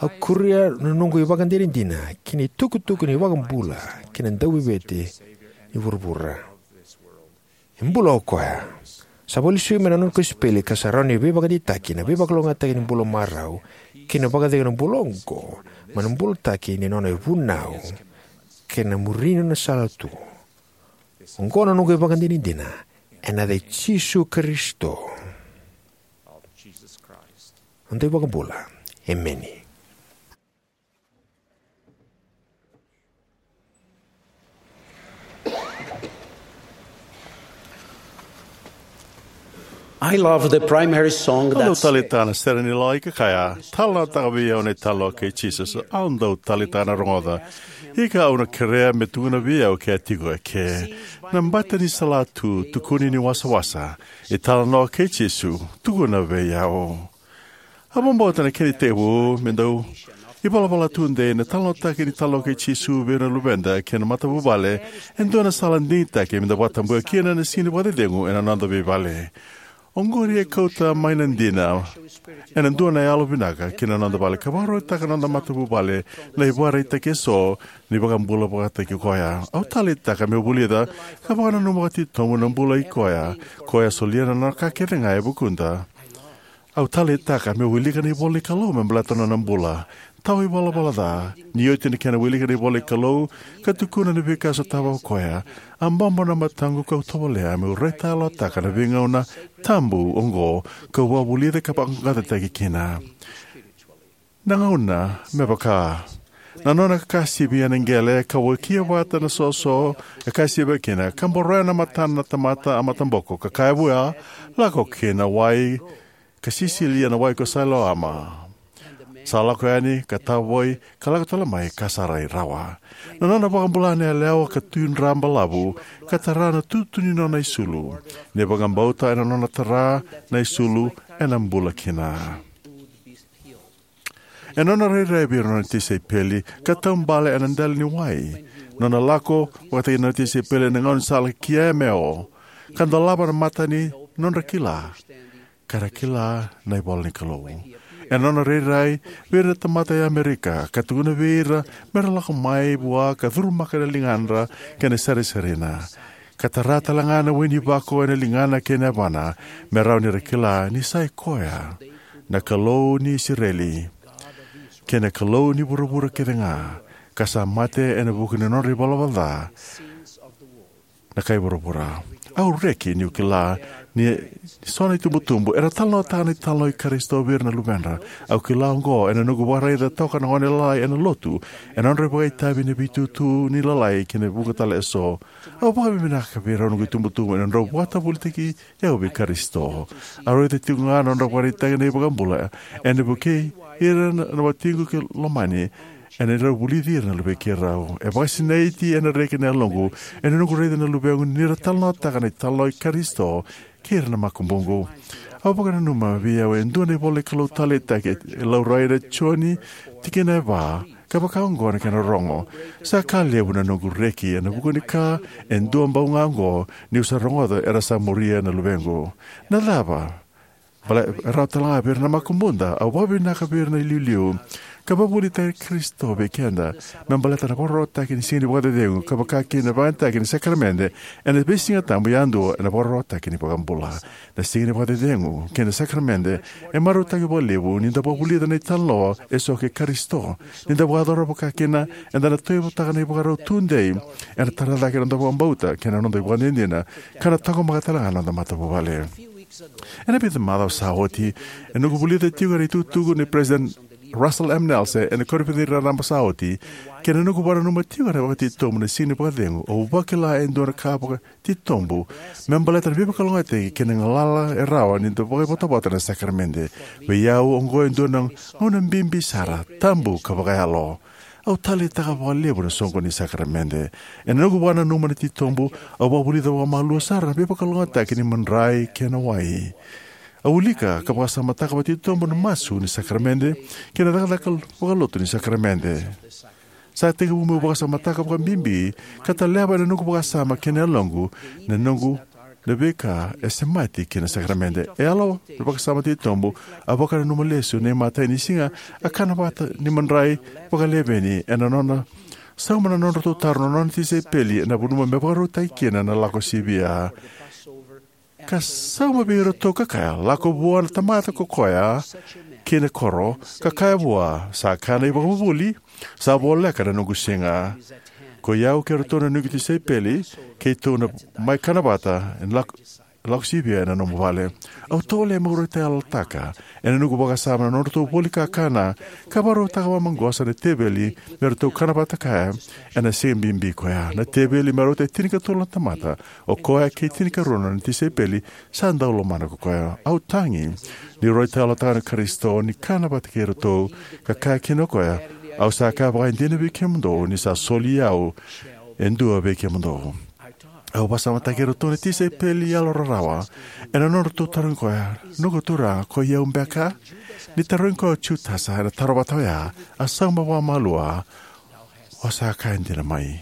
Au kuria na noqu ivakadinadina ki na itukutuku ni iVakabula kei na Dauveivueti ni vuravura. E bula o koya. Sa vakalesui mai na nona kosipeli ka sa rawa ni veivakadeitaki na veivakalougatataki ni bula marau kei na vakacegu na bula oqo mai na bulataki ni nona ivunau kei na muri ni nona sala tu. Oqo na noqu ivakadinadina ena yaca i Jisu Karisito, noda iVakabula. Emeni. I love the primary song. Au dau that's taleitaka na sere ni lawa e kaya, "Talanoataka vei au na italanoa kei Jisu." Au dau taleitaka na rogoca. Ika au na kerea me tukuna vei au ke a tiko eke. Na bata ni salatu, tukuni ni wasawasa, italanoa kei Jisu, tukuna vei au. Au vakabauta na kena itekivu me dau ivalavala tudei na talanoataki ni italanoa kei Jisu vei ira na luveda kei na matavuvale e dua na sala digitaki me da vakatabuya kina na siga ni vakacecegu ena noda veivale. Oqori e kauta mai na dina ena dua na yalo vinaka ki na noda vale ka vakarautaka na noda matavuvale na ivakaraitaki eso ni vakabula vakataki koya. Au taleitaka meu vulica ka vakananuma vakatitobu na bula i koya, koya solia na nona ka kece ga e vukuda. Au taleitaka meu wilika na ivola ni Kalou me baleta na nona bula. Tawa ivalavala ca, ni oti na kena wilika na ivola ni Kalou ka tukuna na veika sotava o koya, a bobo na mataqu kau tovolea meu raitayalotaka na veigauna tabu oqo kau vakavulica ka vaqaqacotaki kina. Na gauna me vaka na nona kasivi ena qele ka wakia vata na soso e kasivi kina, ka boroya na matana na tamata a mataboko, ka kaya vua, "Lako ki na wai ka sisili ena wai ko Sailoama." Sa lako yani ka tavoi ka lako tale mai ka sa rai rawa. Na nona vakabula na yalewa ka tu dra balavu ka tara na tutu ni nona isulu. Ni vakabauta ena nona tara na isulu ena bula kina. E nona rairai vei ira nona tisaipeli ka taubale ena dela ni wai. Nona lako vakataki nona tisaipeli ena gauna sa laki kia Emeo ka dolava na mata ni nodra kila ka ra kila na ivola ni Kalou. E nona rairai vei ira na tamata e Amerika ka tukuna vei ira me ra lako mai vua ka curumaka na ligadra kei na sarisarina. Ka tara tale ga na wai ni vako ena ligana kei na yavana me rawa ni ra kila ni sa i koya na Kalou ni Isireli kei na Kalou ni vuravura kece ga, ka sa mate ena vuku ni nodra ivalavala ca na kai vuravura. Au reki niu kila ni so na itubutubu era talanoataka na italanoa i Karisito vei ira na luvedra. Au kila oqo ena noqu vakaraica toka na gone lalai ena lotu ena nodra vakaitavi ena veitutu ni lalai kei na vuqa tale eso. Au vakavinavinaka vei rau noqu itubutubu ena nodrau vakatavulitaki au vei Karisito. Au raica tiko ga na nodra vakaraitaki na iVakabula ena vukei ira na, na watiqu kei lomani ena rau vulici ira na luvei keirau. E vakasinaiti ena reki na yaloqu ena noqu raica na luvequ ni ra talanoataka na italanoa i Karisito kei ira na makubuqu. Au vakananuma vei au e dua na ivola ni Kalou taleitaki e laurai na Joni tikina e va, ka vaka oqo na kena rogo: "Sa ka levu na noqu reki ena vuku ni ka e dua bau ga oqo, niu sa rogoca era sa muria na luvequ." Na cava? Bale, e rawa tale ga vei ira na makubuda. Au vakavinavinaka vei ira na iliuliu ka vakavuvulitaki Karisito vei keda me baleta na vakarautaki ni Siga ni Vakacecegu, ka vaka kina na vakayagataki ni sakaramede ena veisiga tabu yadua ena vakarautaki ni iVakabula. Na Siga ni Vakacecegu kei na sakaramede e marautaki vakalevu ni da vakavulica na italanoa eso kei Karisito. Ni da vakayacora vaka kina, eda na tauyavutaka na ivakarau tudei, ena tara cake na noda vakabauta kei na noda ivakadinadina, ka na taqomaka tale ga na noda matavuvale. Ena vica na macawa sa oti, ena noqu vulica tiko na itukutuku nei President Russell M. Nelson ena koniferedi raraba sa oti, kei na noqu vakananuma tiko na vakatitobu na Siga ni Vakacecegu, au vakila e dua na ka vakatitobu me baleta na veivakalougatataki kei na galala e rawa ni da vakaivotavota na sakaramede. Vei au, oqo e dua na gauna bibi sara, tabu ka vakayalo. Au taleitaka vakalevu na soqoni ni sakaramede. Ena noqu vakananuma na titobu, au vakavulica vakamalua sara na veivakalougatataki ni madrai kei na wai. Au wilika ka vakasamataka vakatitobu na masu ni sakaramede kei na cakacaka vakalotu ni sakaramede. Sa tekivu meu vakasamataka vakabibi ka taleva ena noqu vakasama kei na yaloqu na noqu na veika e semati kina na sakaramede. E yalo na vakasama titobu, a vakananuma lesu na imatai ni siga, a kana vata ni madrai vakaleveni ena nona sauma na nodratou taro na nona tisaipeli ena vanua me vakarautaki kina na lako sivia. Ka sauma vei iratou ka kaya, "Lako vua na tamata ko koya ki na koro, ka kaya vua, 'Sa kaya na ivakavuvuli, sa voleka na noqu siga. Ko i au kei iratou na noqu tisaipeli, keitou na mai kana vata, ena lako, lako sivia ena nomu vale.'" Au tovolea meu raitayalotaka ena noqu vakasama na nodratou voli kakana, ka vakarautaka vamaqosa na teveli me ratou kana vata kaya ena siga bibi koya. Na teveli me rauta e tinikatolu na tamata, o koya kei tinikarua na tisaipeli, sa dau lomana ko koya. Au tagi ni raitayalotaka na Karisito ni kana vata kei iratou, ka kaya kina o koya, "Au sa kaya vakaidina vei kemudou ni sa soli au e dua vei kemudou." Au vakasamataki iratou na tisaipeli yalo rarawa ena nodratou tarogi koya, "Noqu Turaga, ko i au beka?" Ni tarogi koya o Jutasa ena taro vata oya, a sauma vakamalua, "O sa kaya dina mai."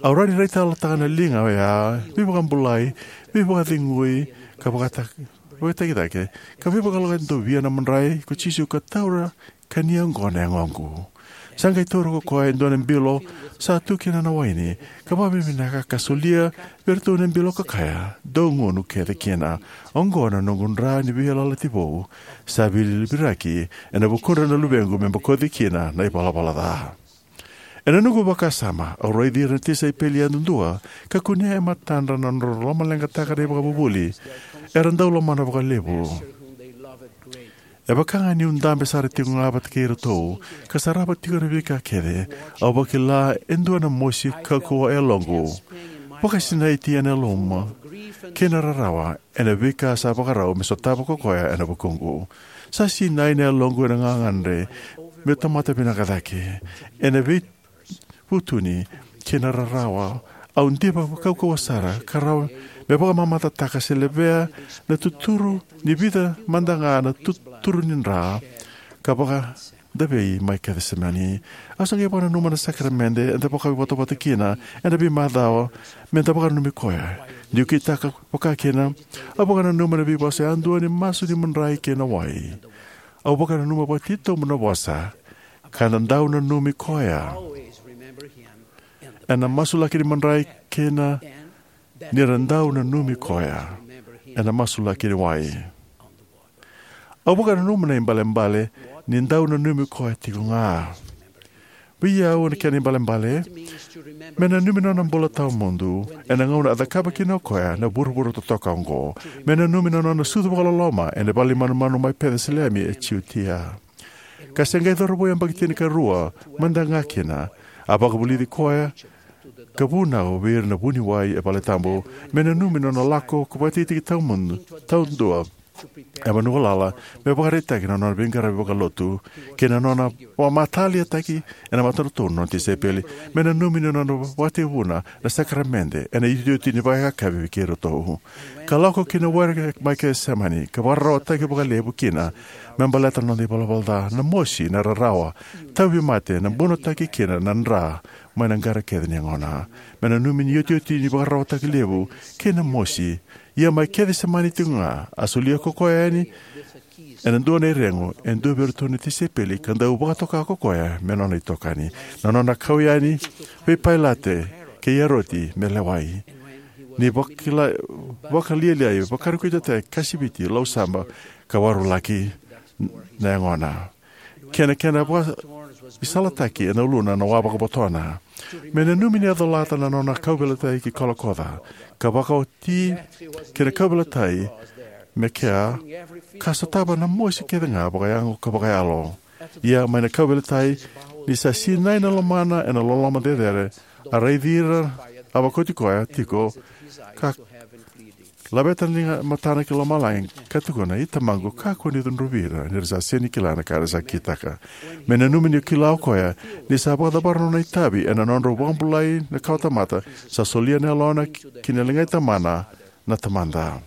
Au rawa ni raitayalotaka na liga oya, veivakabulai, veivakacegui, ka vakata-, vakatakitaki, ka veivakaloqaqataki dau via na madrai ko Jisu ka taura, ka ni oqo na yagoqu. Sa qai taura ko koya e dua na bilo sa tu kina na waini, ka vakavinavinaka ka solia vei iratou na bilo ka kaya, "Dou gunu kece kina. Oqo na noqu dra ni veiyalayalati vou, sa veiliutaki ena vukudra na luvequ me bokoci kina na ivalavala ca." Ena noqu vakasama, au raici ira na tisaipeli yadudua, ka kunea e matadra na nodra lomaleqataka na ivakavuvuli era dau lomana vakalevu. E vaka ga niu dabe sara tiko ga vata kei iratou, ka sarava tiko na veika kece, au vakila e dua na mosi kaukauwa e yaloqu, vakasinaiti ena yalomu, kei na rarawa ena veika sa vakarau me sotava ko koya ena vukuqu. Sa sinai na yaloqu ena gagadre meu tamata vinaka cake. Ena veivutuni kei na rarawa, au diva kaukauwa sara, ka rawa me vakamamadataka se levea na tuturu ni vica mada ga na tuturu ni dra, ka vakadavei mai Kecisemani. Au sa qai vakananuma na sakaramede eda vakaivotavota kina ena veimacawa meda vakananumi koya. Niu kitaka vakakina, au vakananuma na veivosa yadua ni masu ni madrai kei na wai. Au vakananuma vakatitobu na vosa, "Ka na dau nanumi koya. Ena masulaki ni madrai kei na, ni ra dau nanumi koya ena masulaki ni wai." Au vakananuma na ibalebale ni dau nanumi koya tiko ga. Vei au na kena ibalebale, me nanumi na nona bula tawamudu ena gauna a cakava kina o koya na vuravura totoka oqo. Me nanumi na nona sucu vakaloloma ena vale ni manumanu mai Peciselemi e Jutia. Ka se qai cauravou yabaki tinikarua mada ga kina, a vakavulici koya ka vunau vei ira na vuniwai e vale tabu. Me nanumi na nona lako ko vakatikitiki tawamudu, taudua e vanua galala, me vakaraitaki na nona veiqaravi vakalotu, kei na nona vakamataliataki ena matadra na nona tisaipeli. Me nanumi na nona vakatekivuna na sakaramede ena iotioti ni vakayakavi vei keiratou. Ka lako ki na were mai Kecisemani, ka vakararawataki vakalevu kina me baleta na noda ivalavala ca, na mosi, na rarawa, tauvimate, na bunotaki kina na dra mai na qara kece ni yagona. Me nanumi ni iotioti ni vakararawataki levu kei na mosi, ia mai Kecisemani tiko ga, a solia ko koya yani ena dua na iregu e dua vei iratou na tisaipeli, ka dau vakatoka ko koya me nona itokani. Na nona kau yani vei Pailate kei Eroti me lewai. Ni vakila-, vakalialiai, vakarikitaki, kasiviti, lausaba, ka warulaki na yagona. Kena, kena vakaisalataki ena uluna na wa vakavotona. Me nanumi ni a colata na nona kauveilatai ki Kolokoca, ka vakaoti kei na kauveilatai me kea, ka sotava na mosi kece ga vakayago ka vakayalo. Ia mai na kauveilatai, ni sa sinai na lomana ena loloma cecere, a raici ira a vakoti koya tiko, ka laveta na liga matana ki lomalagi, ka tukuna, "I Tamaqu, kakua ni cudruvi ira, ni ra sa sega ni kila na ka era sa kitaka." Me nanumi ni kila o koya ni sa vakacavara na nona itavi ena nodrau vakabulai na kawatamata, sa solia na yalona ki na ligai tamana na Tamada.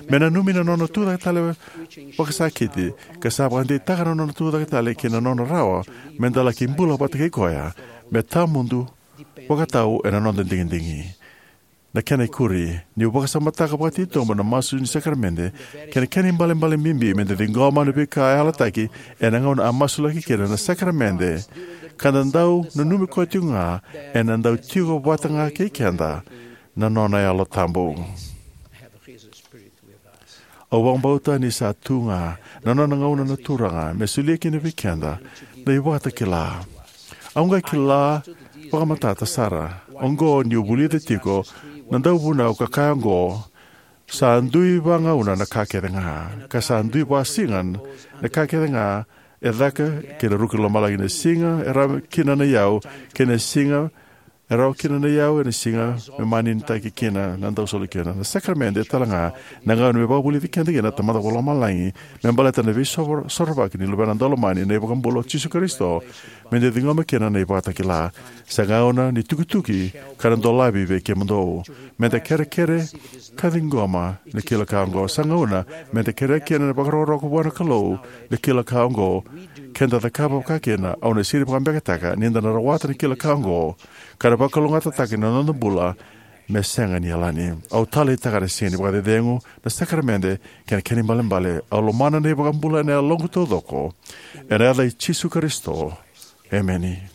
Me nanumi na nona tucake tale vakasakiti, ka sa vakadeitaka na nona tucake tale ki na nona rawa meda laki bula vata kei koya me tawamudu vakatau ena noda digidigi. Na kena ikuri, niu vakasamataka vakatitobu na masu ni sakaramede kei na kena ibalebale bibi me da ciqoma na veika a yalataki ena gauna a masulaki kina na sakaramede, ka da dau nanumi koya tiko ga ena dau tiko vata ga kei keda na nona Yalo Tabu. Au vakabauta ni sa tu ga na nona gauna na Turaga me solia kina vei keda na ivakatakila. Au qai kila vakamatata sara oqo niu vulica tiko na dauvunau ka kaya oqo: Sa dui vagauna na ka kece ga, ka sa dui vasiga na ka kece ga e caka kei na ruku ni lomalagi, na siga e rawa kina na iyau, kei na siga e rawa kina na iyau, ena siga me maninitaki kina na dau soli kina. Na sakaramede tale ga na gauna me vakavulici keda kina na Tamada Vakalomalagi me baleta na veisorovaki ni Luvena Daulomani, na iVakabula o Jisu Karisito, me da ciqoma kina na ivakatakila. Sa gauna ni tukituki ka na dolavi vei kemudou. Me da kerekere ka ciqoma na kila ka oqo. Sa gauna me da kerea kina na vakarokoroko vua na Kalou na kila ka oqo. Ke da cakava vaka kina, au na sega ni vakabekataka ni da na rawata na kila ka oqo ka na vakalougatataka na noda bula me sega ni yalani. Au taleitaka na siga ni vakacecegu, na sakaramede kei na kena ibalebale. Au lomana na iVakabula ena yaloqu taucoko, ena yaca i Jisu Karisito, emeni.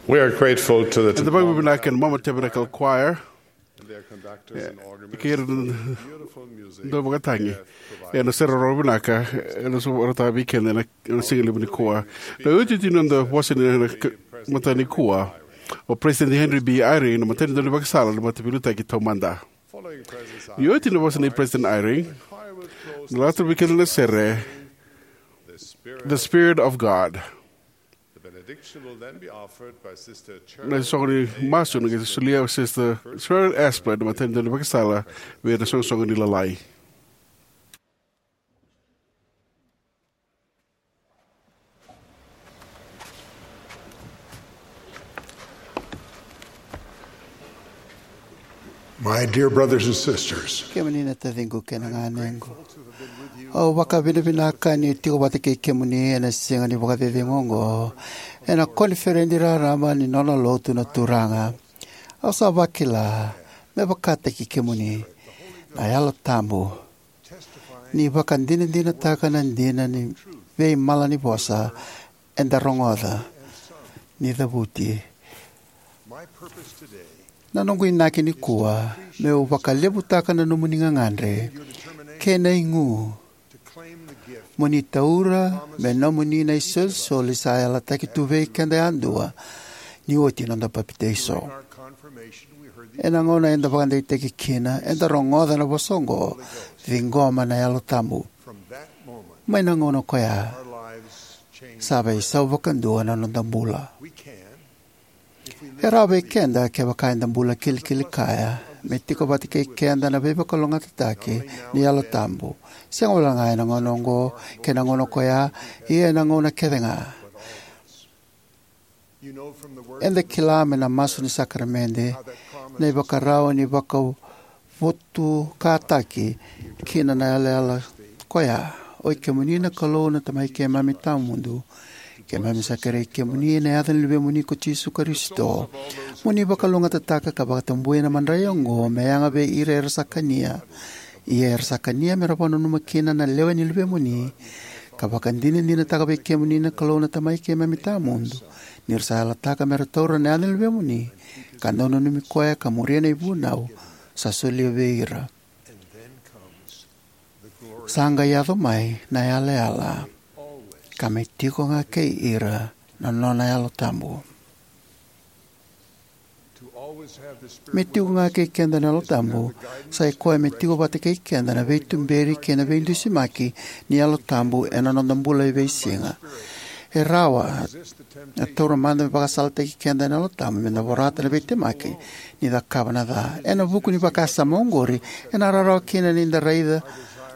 We are grateful to the Eda vakavinavinaka ena Maumau Tabernacle Choir, kei ira na dau vakatagi ena sere rau vinaka ena sovara vei keda ena, ena siga levu nikua. Na iotioti ni noda vosa ni, na, mataka nikua o President Henry B. Eyring, na matanitu ni vakasala ni Mataveiliutaki Taumada. Ni oti na vosa nei President Eyring, na lata vei keda na sere The Spirit of God. Na soqo ni masu na qai solia o Sister Cheryl Asplund, na matanitu ni vakasala, vei ira na soqosoqo ni Lalai. My dear brothers and sisters, kemuni na taciqu kei na ganequ, au vakavinavinaka niu tiko vata kei kemuni ena siga ni vakacecegu oqo ena koniferedi raraba ni nona lotu na Turaga. Au sa vakila me vakataki kemuni na Yalo Tabu ni vakadinadinataka na dina ni veimalanivosa eda rogoca ni cavuti. Na noqu inaki nikua meu vakalevutaka na nomuni gagadre kei na igu mo ni taura me nomuni na isolisoli sa yalataki tu vei keda yadua ni oti noda papitaiso. Ena gauna eda vakadeitaki kina, eda rogoca na vosa oqo: Ciqoma na Yalo Tabu. Mai na gauna koya, sa veisau vakadua na noda bula. E rawa vei keda, kevaka eda bula kilikili kaya, me tiko vata kei keda na veivakalougatataki ni Yalo Tabu, sega walega ena gauna oqo kei na gauna koya, ia ena gauna kece ga. Eda kila mai na masu ni sakaramede na ivakarau ni vakavotukataki kina na yalayala koya: Oi kemuni na Kalou na Tamai keimami tawamudu, keimami sa kerei kemuni ena yaca ni Luvemuni ko Jisu Karisito, mo ni vakalougatataka ka vakatabui na madrai oqo me yaga vei ira era sa kania. Ia era sa kania me ra vakananuma kina na lewe ni Luvemuni, ka vakadinadinataka vei kemuni na Kalou na Tamai keimami tawamudu, ni ra sa yalataka me ra taura na yaca ni Luvemuni, ka dau nanumi koya ka muria na ivunau sa solia vei ira. Sa qai yaco mai na yalayala, ka me tiko ga kei ira na nona Yalo Tabu. Me tiko ga kei keda na Yalo Tabu, sa i koya me tiko vata kei keda na veituberi kei na veidusimaki ni Yalo Tabu ena noda bula e veisiga. E rawa na taura mada me vakasalataki keda na Yalo Tabu meda vorata na veitemaki ni cakava na ca. Ena vuku ni vakasama oqori, ena rawarawa kina ni da raica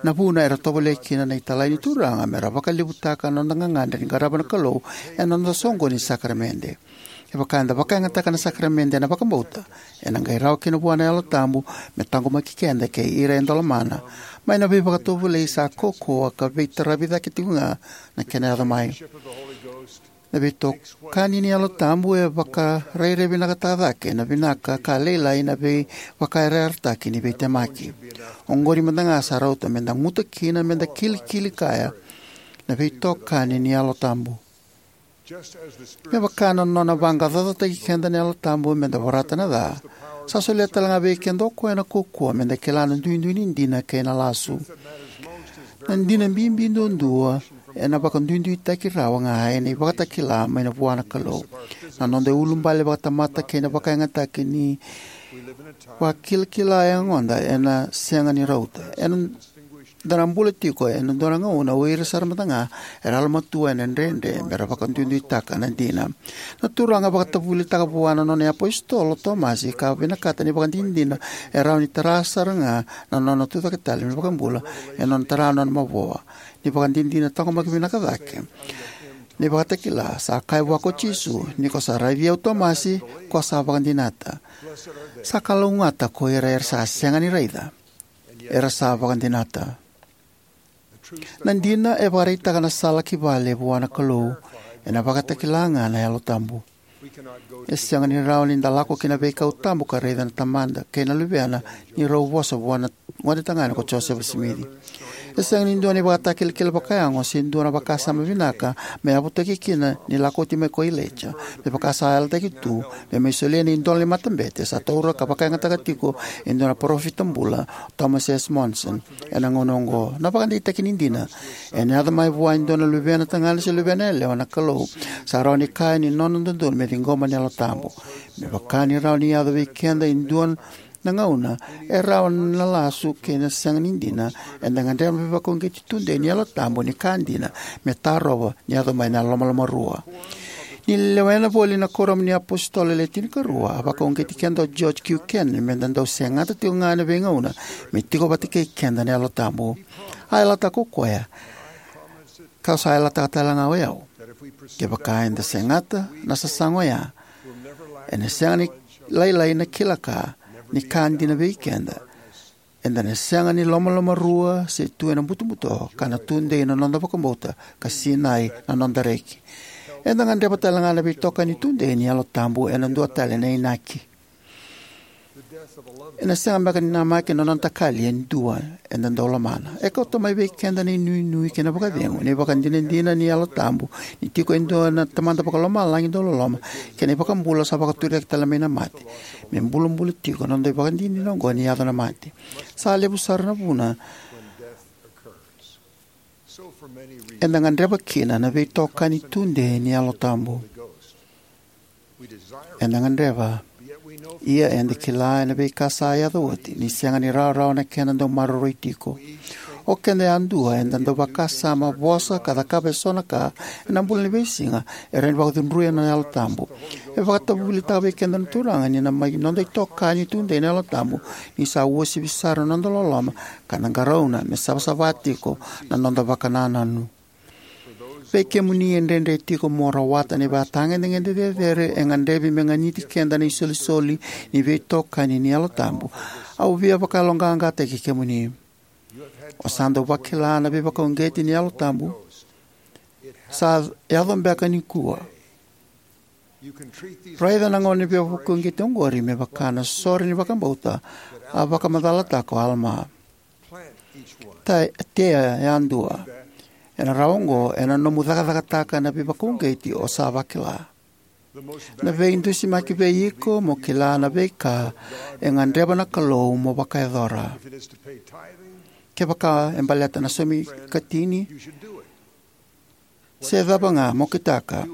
na vuna era tovolea kina na italai ni Turaga me ra vakalevutaka na noda gagadre ni qarava na Kalou ena noda soqoni ni sakaramede. Kevaka eda vakayagataka na sakaramede ena vakabauta, ena qai rawa kina vua na Yalo Tabu me taqomaki keda kei ira eda lomana mai na veivakatovolei sa kaukauwa ka veitaravi cake tiko ga na kena yaco mai. Na veitokani ni Yalo Tabu e vakarairai vinakataka cake na vinaka ka lailai na veivakayarayarataki ni veitemaki. Oqori mada ga sa rauta meda guta kina meda kilikili kaya na veitokani ni Yalo Tabu. Me vaka na nona vaqaqacotaki keda na Yalo Tabu meda vorata na ca, sa solia tale ga vei keda o koya na kaukauwa meda kila na duidui ni dina kei na lasu. Na dina bibi duadua ena vakaduiduitaki rawa ga ena ivakatakila mai na vua na Kalou. Na noda iulubale vakatamata kei na vakayagataki ni vakilakila e yagoda ena sega ni rauta. Eda na bula tiko ena dua na gauna o ira sara mada ga era yalomatua ena dredre me ra vakaduiduitaka na dina. Na Turaga e vakatavulitaka vua na nona iapositolo o Tomasi ka vinakata ni vakadinadina e rawa ni tara sara ga na nona tucake tale me vakabula ena nona tara na nona mavoa. Ni vakadinadina taqomaki vinaka cake na ivakatakila, sa kaya vua ko Jisu: Ni ko sa raici au Tomasi, ko sa vakadinata. Sa kalougata ko ira era sa sega ni raica, era sa vakadinata. Na dina e vakaraitaka na sala ki vale vua na Kalou ena vakatakila ga na Yalo Tabu. E sega ni rawa ni da lako ki na veikau tabu ka raica na Tamada kei na Luvena ni rau vosa vua na gone tagane ko Josefa Simici. E sega ni dua na ivakatakilakila vakayago se dua na vakasama vinaka me yavutaki kina ni lako oti mai ko Ilaija. Me vaka sa yalataki tu, me mai solia na idola ni matabete, sa taura ka vakayagataka tiko e dua na parofita bula, Thomas S. Monson, ena gauna oqo. Na vakadeitaki ni dina, ena yaco mai vua e dua na luvena tagane se luvena yalewa na Kalou sa rawa ni kaya ni nona dodonu me ciqoma na Yalo Tabu. Me vaka ni rawa ni yaco vei keda e dua na gauna e rawa na lasu kei na sega ni dina, eda gadreva na veivakauqeti tudei ni Yalo Tabu ni ka dina me tarova ni yaco mai na lomalomarua. Ni lewena voli na Kuoramu ni iApositolo Le Tinikarua, a vakauqeti keda o George Q. Cannon meda dau segata tiko ga ena veigauna me tiko vata kei keda na Yalo Tabu. A yalataka o koya, kau sa yalataka tale ga o yau, kevaka eda segata na sasaga oya, ena sega ni lailai na kila ka ni ka dina vei keda. Eda na sega ni lomalomarua se tu ena butobuto, ka na tudei na noda vakabauta, ka sinai na noda reki. Eda gadreva tale ga na veitokani tudei ni Yalo Tabu ena dua tale na inaki. Ena sega beka ni namaki na nona takali e dua eda dau lomana. E kauta mai vei keda na inuinui kei na vakacegu, na ivakadinadina ni Yalo Tabu ni tiko e dua na Tamada Vakalomalagi dau loloma, kei na iVakabula sa vakaturiyaki tale mai na mate, me bulabula tiko na noda ivakadinadina oqo ni yaco na mate. Sa levu sara na vuna eda gadreva kina na veitokani tudei ni Yalo Tabu. Eda gadreva, ia eda kila ena veika sa yaco oti ni sega ni rawarawa na kena dau maroroi tiko. O keda yadua eda dau vakasama, vosa, ka cakava eso na ka ena bula ni veisiga e rawa ni vakacudruya na Yalo Tabu. E vakatavulitaka vei keda na Turaga ni na mai noda itokani tudei na Yalo Tabu ni sa uasivi sara na noda loloma, ka na qarauna me savasava tiko na noda vakanananu. Vei kemuni e dredre tiko mo rawata na ivakatagedegede cecere e gadrevi me ganiti keda na isolisoli ni veitokani ni Yalo Tabu, au via vakayaloqaqataki kemuni. O sa dau vakila na veivakauqeti ni Yalo Tabu. Sa yaco beka nikua. Raica na gauna ni veivakauqeti oqori me vaka na sore ni vakabauta a vakamacalataka o Alama. Ta-, tea yadua. Ena rawa oqo ena nomu cakacakataka na veivakauqeti o sa vakila. Na veidusimaki vei iko mo kila na veika e gadreva na Kalou mo vakayacora. Kevaka e baleta na saumi katini se cava ga, mo kitaka.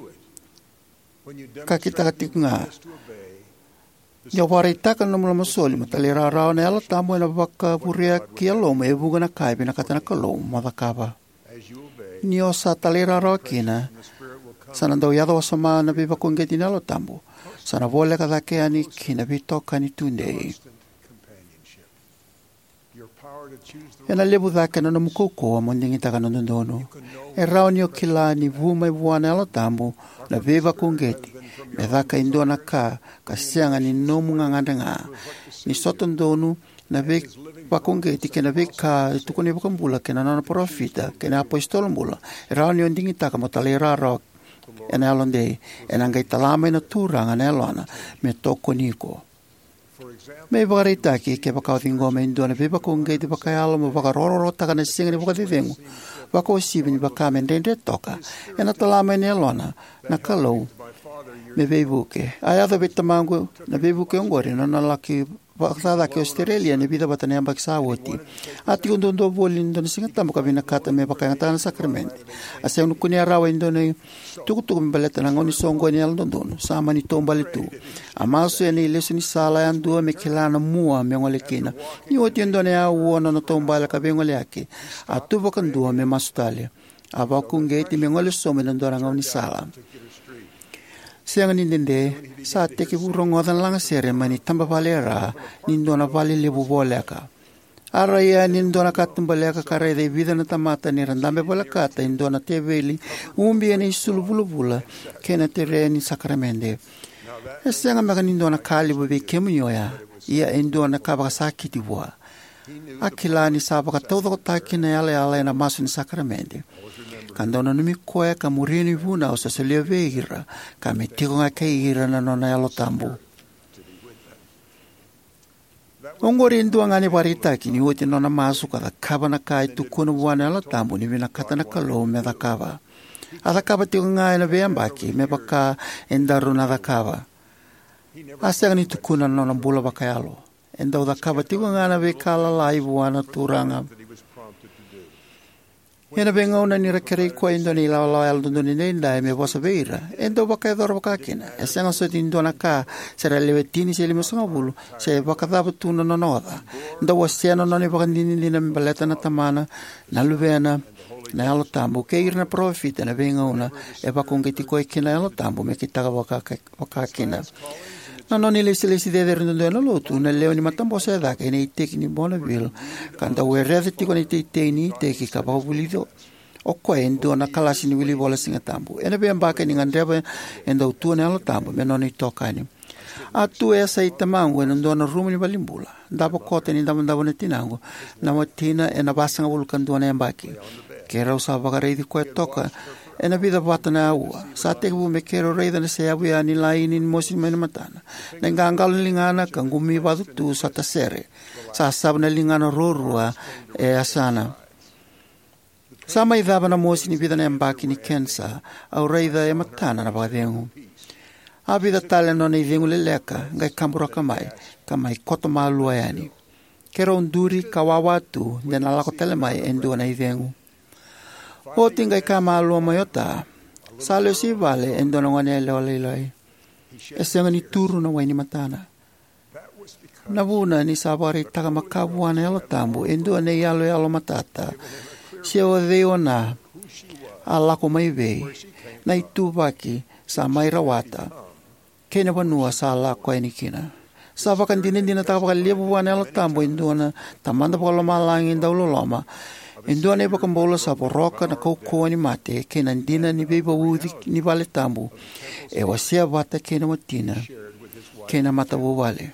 Ka kitaka tiko ga. Ni o vakaraitaka na nomu lomasoli mo talairawarawa, na Yalo Tabu ena vakavurea ki yalomu e vuqa na ka e vinakata na Kalou mo cakava. Ni o sa talairawarawa kina, sa na dau yaco wasoma na veivakauqeti ni Yalo Tabu. Sa na voleka cake yani ki na veitokani tudei. Ena levu cake na nomu kaukauwa mo digitaka na dodonu. E rawa ni o kila ni vu mai vua na Yalo Tabu na veivakauqeti me caka e dua na ka ka sega ni nomu gagadre ga. Ni sota donu na veivakauqeti kei na veika e tukuna na iVakabula kei na nona parofita kei na iapositolo bula, e rawa ni o digitaka mo talairawarawa ena yalodei. Ena qai tala mai na Turaga na Yalona me tokoni iko. Me ivakaraitaki, kevaka o ciqoma e dua na veivakauqeti vakayalo mo vakarokorokotaka na siga ni vakacecegu, vakauasivi ni vaka me dredre toka, ena tala mai na Yalona na Kalou me veivuke. A yaco vei tamaqu na veivuke oqori ena nona laki vakacakacaka ki Ositerelia ena vica vata na yabaki sa oti. A tiko duadua voli ena dua na Sigatabu ka vinakata me vakayagataka na sakaramede. A sega ni kunea rawa e dua na itukutuku me baleta na gauna ni soqoni ni Yalododonu. Sa mani taubale tu. A masu ena ilesu ni sala yadua me kila na mua me gole kina. Ni oti e dua na auwa na nona taubale ka veigoleyaki, a tu vakadua me masu tale. A vakauqeti me gole sobu ena dua na gaunisala. Sega ni dede, sa tekivu rogoca na lagasere mai na itabavale e ra ni dua na vale levu voleka. A rai yani ena dua na katubaleka ka raica e vica na tamata ni ra dabe volekata e dua na teveli ubi ena isulu vulavula kei na tere ni sakaramede. E sega beka ni dua na ka levu vei kemuni oya, ia e dua na ka vakasakiti vua. A kila ni sa vakataucokotaki na yalayala ena masu ni sakaramede. Ka dau nanumi koya ka muria na ivunau sa solia vei ira, ka me tiko ga kei ira na nona Yalo Tabu. Oqori e dua ga na ivakaraitaki ni oti na nona masu ka cakava na ka e tukuna vua na Yalo Tabu ni vinakata na Kalou me cakava. A cakava tiko ga ena veiyabaki me vaka e daru na cakava. A sega ni tukuna na nona bula vakayalo. E dau cakava tiko ga na veika lalai vua na Turaga. Ena veigauna ni ra kerei koya e dua na ilawalawa yalododonu edaidai me vosa vei ira, e dau vakayacora vakakina. E sega soti ni dua na ka, se ra lewe tini se limasagavulu, se vakacava tu na nona oca. Dau wasea na nona ivakadinadina me baleta na Tamana, na Luvena, na Yalo Tabu, kei ira na parofita ena veigauna e vakauqeti koya kina na Yalo Tabu me kitaka vaka, vakakina. Na nona ilesilesi cecere duadua ena lotu, na lewe ni matabose e cake ena iteki ni Bonneville, ka dau wereca tiko na iteitei ni iteki ka vakavulici o koya e dua na kalasi ni wilivola Siga Tabu. Ena veiyabaki ni gadreva e dau tu na Yalo Tabu me nona itokani. A tu e yasai tamaqu ena dua na rumu ni valenibula. Davo koto ni davodavo na tinaqu, na watina, ena vasagavulu ka dua na yabaki. Keirau sa vakaraici koya toka ena vica vata na aua. Sa tekivu me keirau raica na seyavu ya ni laini ni mosi mai na matana, na iqaqalo ni ligana ka qumi vacu tu sa tasere. Sa sava na ligana ruarua e yasana. Sa mai cava na mosi ni vica na yabaki ni kenisa, au raica e matana na vakacegu. A vica tale na nona icegu leleka, qai kaburaka mai, ka mai koto malua yani. Keirau duri ka wawa tu de na lako tale mai e dua na icegu. Oti qai kaya malua mai o Ta, sa lesu i vale e dua na goneyalewa lailai. E sega ni turu na wai ni matana. Na vuna ni sa vakaraitaka makawa vua na Yalo Tabu e dua na iyaloyalo matata, se o cei o Na, a lako mai vei, na ituvaki sa mai rawata, kei na vanua sa lako yani kina. Sa vakadinadinataka vakalevu vua na Yalo Tabu e dua na Tamada Vakalomalagi dauloloma, e dua na iVakabula sa voroka na kaukauwa ni mate kei na dina ni veivauci ni vale tabu. E wasea vata kei na watina kei na matavuvale.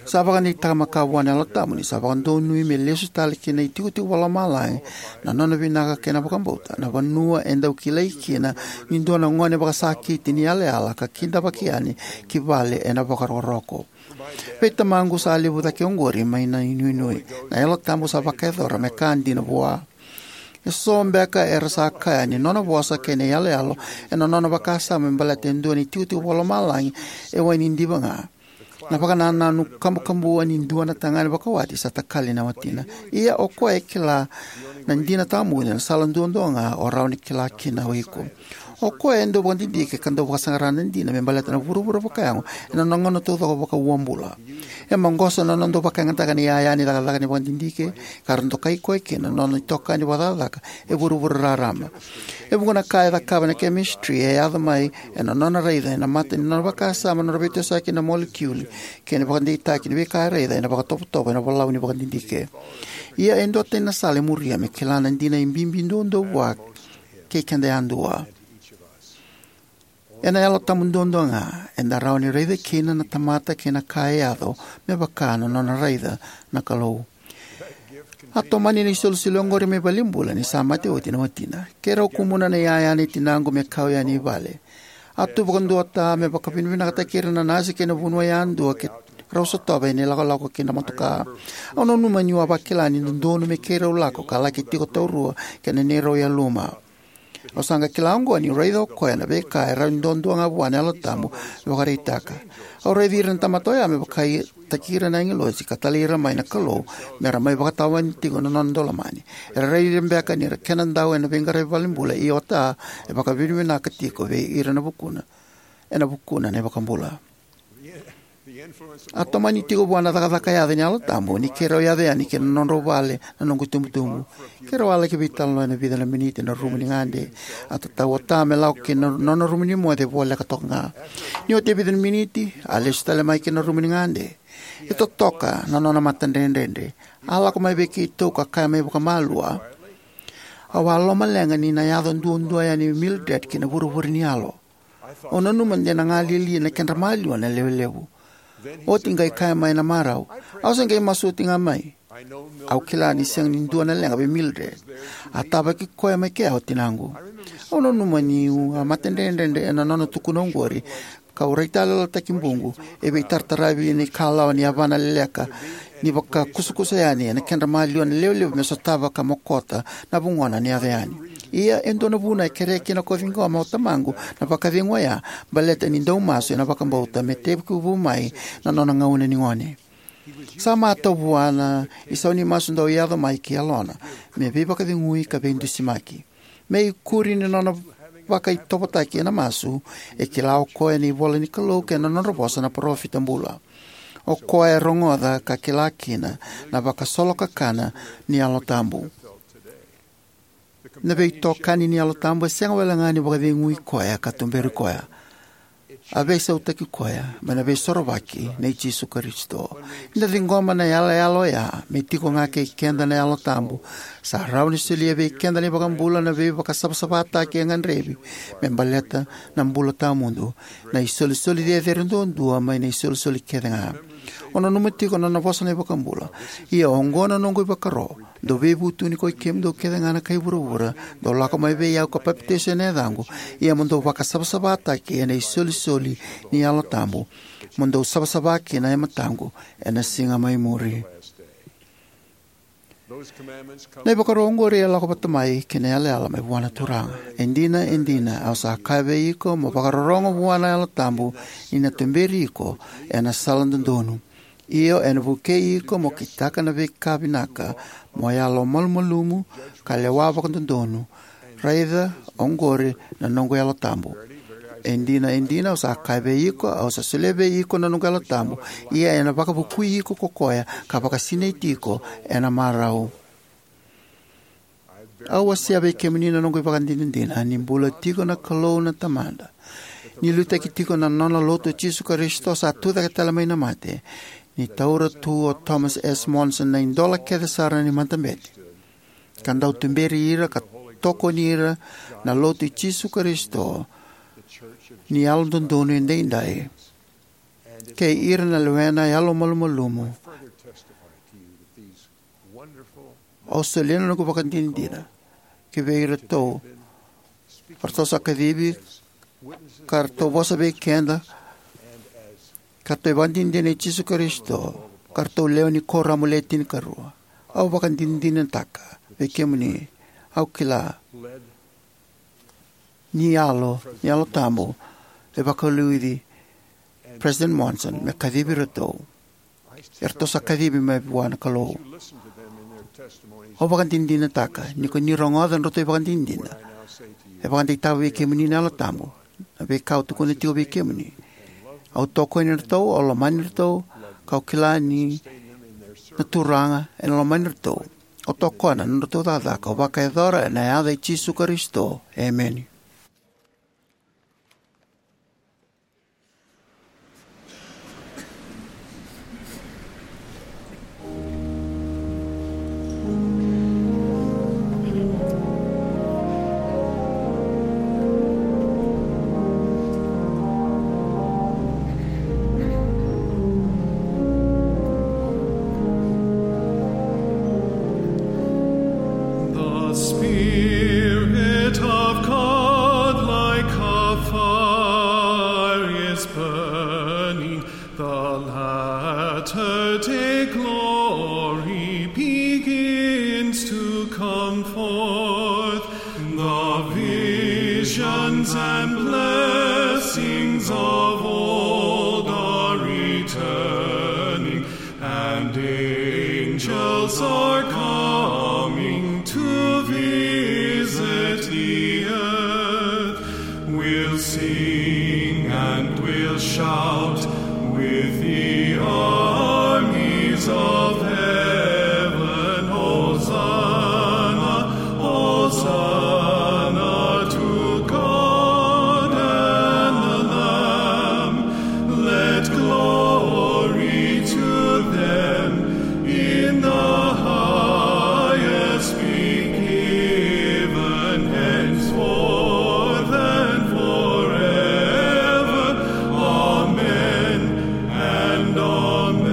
Sa vakadeitaka makawa vua na Yalo Tabu ni sa vakadonui me lesu tale ki na itikotiko vakalomalagi na nona vinaka kei na vakabauta, na vanua e dau kilai kina ni dua na gone vakasakiti ni yalayala ka kidavaki yani ki vale ena vakarokoroko. Vei tamaqu sa levu cake oqori mai na inuinui. Na Yalo Tabu sa vakayacora me ka dina vua. Eso beka era sa kaya ni nona vosa kei na iyaloyalo ena nona vakasama me baleta e dua na itikotiko vakalomalagi e wai ni diva ga. Na vakanananu kabukabua ni dua na tagane vakawati sa takali na watina. Ia o koya e kila na dina tawamudu ena sala duadua ga o rawa ni kila kina o iko. O koya e dau vakadidike ka dau vakasaqara na dina me baleta na vuravura vakayago ena nona gauna taucoko vakauabula. E maqosa na nona dau vakayagataka na iyaya ni cakacaka ni vakadidike, ka ra dokai koya kina na nona itokani vakacakacaka e vuravura raraba. E vuqa na ka e cakava na chemistry e yaco mai ena nona raica ena mata ni nona vakasama na nona veitosoyaki na molekiuli kei na vakadeitaki ni veika e raica ena vakatovotovo ena volau ni vakadidike. Ia e duatani na sala e muria me kila na dina e bibi duadua vua kei keda yadua. Ena Yalo Tabu duadua ga eda rawa ni raica kina na tamata kei na ka e yaco me vaka na nona raica na Kalou. A tomani na isolisoli oqori mai valenibula ni sa mate oti na watina. Keirau kumuna na iyaya nei tinaqu me kau yani i vale. A tu vakadua o Ta me vakavinavinakataki ira na nasi kei na vanua yadua keirau sotava ena ilakolako ki na motoka. Au nanuma niu a vakila ni dodonu me keirau lako ka laki tiko taurua kei na neirau yaluma. Au sa qai kila oqo niu raica o koya na veika e rawa ni duadua ga vua na Yalo Tabu me vakaraitaka. Au raici ira na tamata oya me vakaitaki ira na agilosi ka talai ira mai na Kalou me ra mai vakatawani tiko na nona daulomani. Era raici ira beka ni ra kena dau ena veiqaravi valenibula, ia o Ta e vakavinavinaka tiko vei ira na vukuna, ena vukuna na iVakabula. A tomani tiko vua na cakacaka yaco ni Yalo Tabu ni keirau yaco yani ki na nodrau vale na noqu itubutubu. Keirau a laki veitalanoa ena vica na miniti ena rumu ni gade. A tatau o Ta me lako ki na nona rumu ni moce voleka toka ga. Ni oti e vica na miniti, a lesu tale mai ki na rumu ni gade. E totoka na nona matadredredre. A lako mai vei keitou ka kaya mai vakamalua, "Au a lomaleqa ni na yaco duadua yani o Mildred ki na vuravura ni yalo. Au nanuma de na galili na kedra maliwa na lewe levu." Oti qai kaya mai na marau, "Au se qai masu oti ga mai. Au kila ni sega ni dua na leqa vei Mildred. A tavaki koya mai kea o tinaqu." Au nanuma niu a matadredredre ena nona tukuna oqori. kau raitayaloyalotaki buqu, e veitarataravi ena ikalawa ni yavana leleka, ni vakakusakusa yani ena kedra maliwa na lewe levu me sotava ka mokota na vugona ni yaco yani. Ia e dua na vuna e kerea kina ko ciqoma o tamaqu na vakacegu oya, baleta ni dau masu ena vakabauta me tekivu mai na nona gauna ni gone. Sa matau vua na isau ni masu dau yaco mai ki yalona, me veivakacegui ka veidusimaki. Me ikuri ni nona vakaitovotaki ena masu, e kila o koya na ivola ni Kalou kei na nodra vosa na parofita bula. O koya e rogoca ka kila kina na vakasolokakana ni Yalo Tabu. Na veitokani ni Yalo Tabu e sega wale ga ni vakacegui koya ka tuberi koya. A veisautaki koya mai na Veisorovaki nei Jisu Karisito. Ni da ciqoma na yalayala oya me tiko ga kei keda na Yalo Tabu, sa rawa ni solia vei keda na iVakabula na veivakasavasavataki e gadrevi me baleta na bula tawamudu, na isolisoli cecere duadua mai na isolisoli kece ga. O nanuma tiko na nona vosa na iVakabula: Ia oqo na noqu ivakaro, dou veivutuni koi kemudou kece ga na kai vuravura, dou lako mai vei au ka papitaiso ena yacaqu, ia mo dou vakasavasavataki ena isolisoli ni Yalo Tabu, mo dou savasava kina e mataqu ena siga mai muri. Na ivakaro oqori e lako vata mai kei na yalayala mai vua na Turaga: E dina, e dina, au sa kaya vei iko, mo vakarorogo vua na Yalo Tabu, ni na tuberi iko ena sala dodonu. Io, ena vukei iko mo kitaka na veika vinaka, mo yalomalumalumu, ka lewa vakadodonu. Raica, oqori na noqu Yalo Tabu. E dina, e dina, au sa kaya vei iko, au sa solia vei iko na noqu Yalo Tabu, ia ena vakavukui iko ko koya, ka vakasinaiti iko ena marau. Au wasea vei kemuni na noqu ivakadinadina ni bula tiko na Kalou na Tamada, ni liutaki tiko na nona Lotu o Jisu Karisito sa tucake tale mai na mate, ni taura tu o Thomas S. Monson na idola kece sara ni matabete, ka dau tuberi ira ka tokoni ira na Lotu i Jisu Karisito ni Yalododonu Edaidai, kei ira na lewena yalomalumalumu. Au solia na noqu ivakadinadina ki vei iratou ratou sa kacivi, ka ratou vosa vei keda, ka ratou ivakadinadina i Jisu Karisito, ka ratou lewe ni Kuoramu Le Tinikarua. Au vakadinadinataka vei kemuni. Au kila ni Yalo, ni Yalo Tabu e vakaliuci President Monson me kacivi iratou. Eratou sa kacivi mai vua na Kalou. Au vakadinadinataka ni ko ni rogoca na nodratou ivakadinadina, e vakadeitaka vei kemuni na Yalo Tabu na veika au tukuna tiko vei kemuni. Au tokoni iratou, au lomani iratou, kau kila ni na Turaga ena lomani iratou. Au tokona na nodratou cakacaka, au vakayacora ena yaca i Jisu Karisito. Emeni. The Spirit of God like a fire is burning, the latter day glory begins to come forth. The visions and blessings of old are returning, and angels are coming to visit the earth. We'll sing and we'll shout with the armies of heaven. Hosanna, Hosanna to God and the Lamb. Let glory to them in the highest be given, henceforth and forever. Amen and amen.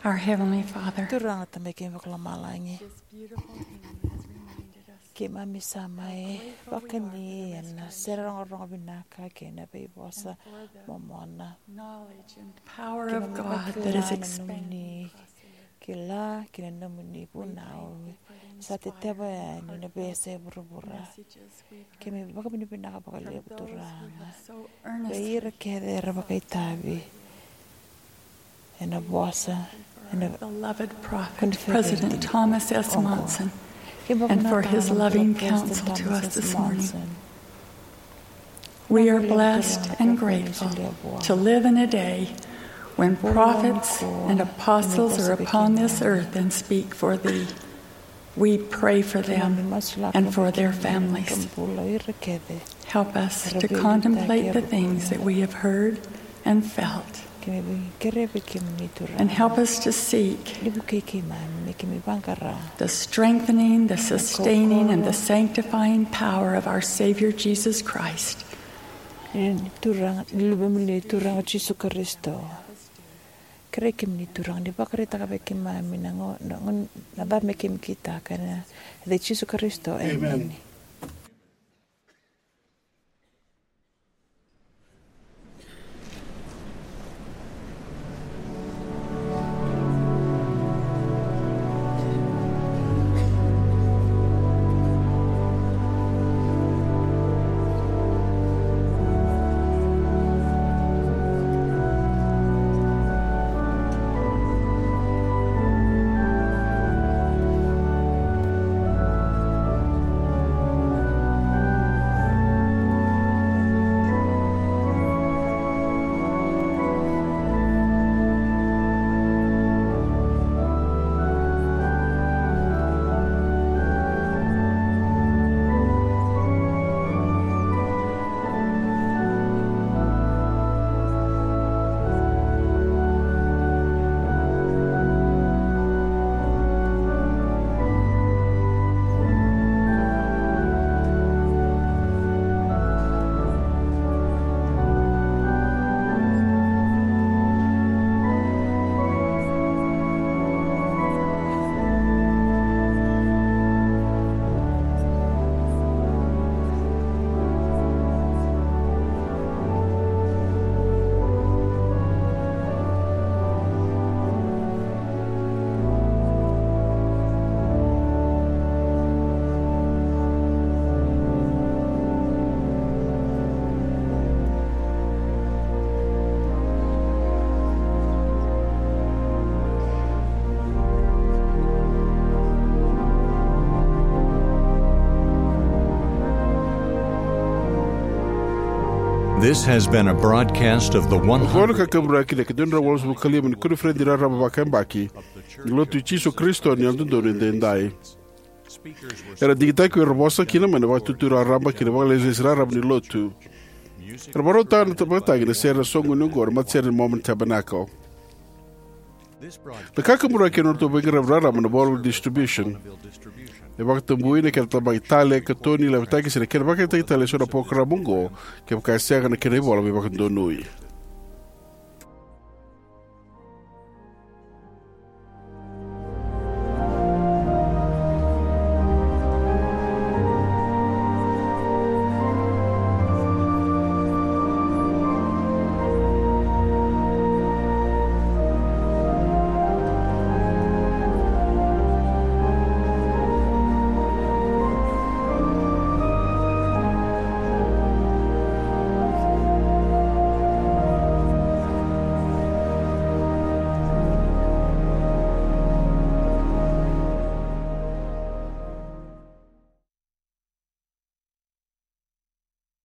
Our Heavenly Father, Turaga Tamai keimami vakalomalagi, this beautiful hymn has reminded us keimami sa mai vakani ena sere rogorogo vinaka kei na veivosa momona. Knowledge and power of God that is expanding. Kila kei na nomuni vunau sa teteva yani na veiyasai vuravura. Keimami vakavinavinaka vakalevu, Turaga, vei ira kece era vakaitavi ena vosa ena beloved prophet, President Thomas S. Monson, and for his loving counsel to us this morning. We are blessed and grateful to live in a day when prophets and apostles are upon this earth and speak for thee. We pray for them and for their families. Help us to contemplate the things that we have heard and felt, and help us to seek the strengthening, the sustaining, and the sanctifying power of our Savior Jesus Christ. Ni Turaga, ni Luvemuni Turaga Jisu Karisito. Kerei kemuni Turaga ni vakaraitaka vei keimami na gauna, na gauna, na cava me keimami kitaka, ena yaca i Jisu Karisito. Emeni. This has been a broadcast of the Oqo na one hundred. Kakaburaki na ika dua na drau walusagavulu ka lima ni koniferedi raraba vakayabaki ni Lotu i Jisu Karisito ni Yalododonu Edaidai. Era digitaki ko ira era vosa kina mai na Vakaitutu Raraba kei na Vakailesilesi Raraba ni Lotu. Era vakarautaka na vakatagi na sere ena soqoni oqo na matasere ni Mormon Tabernacle. Na kakaburaki ena nodratou veiqaravi raraba na Volume Distribution. E vakatabui na kena tabaki tale, katoni, lavetaki se na kena vakayagataki tale eso na parokaramu oqo kevaka e sega na kena ivola veivakadonui.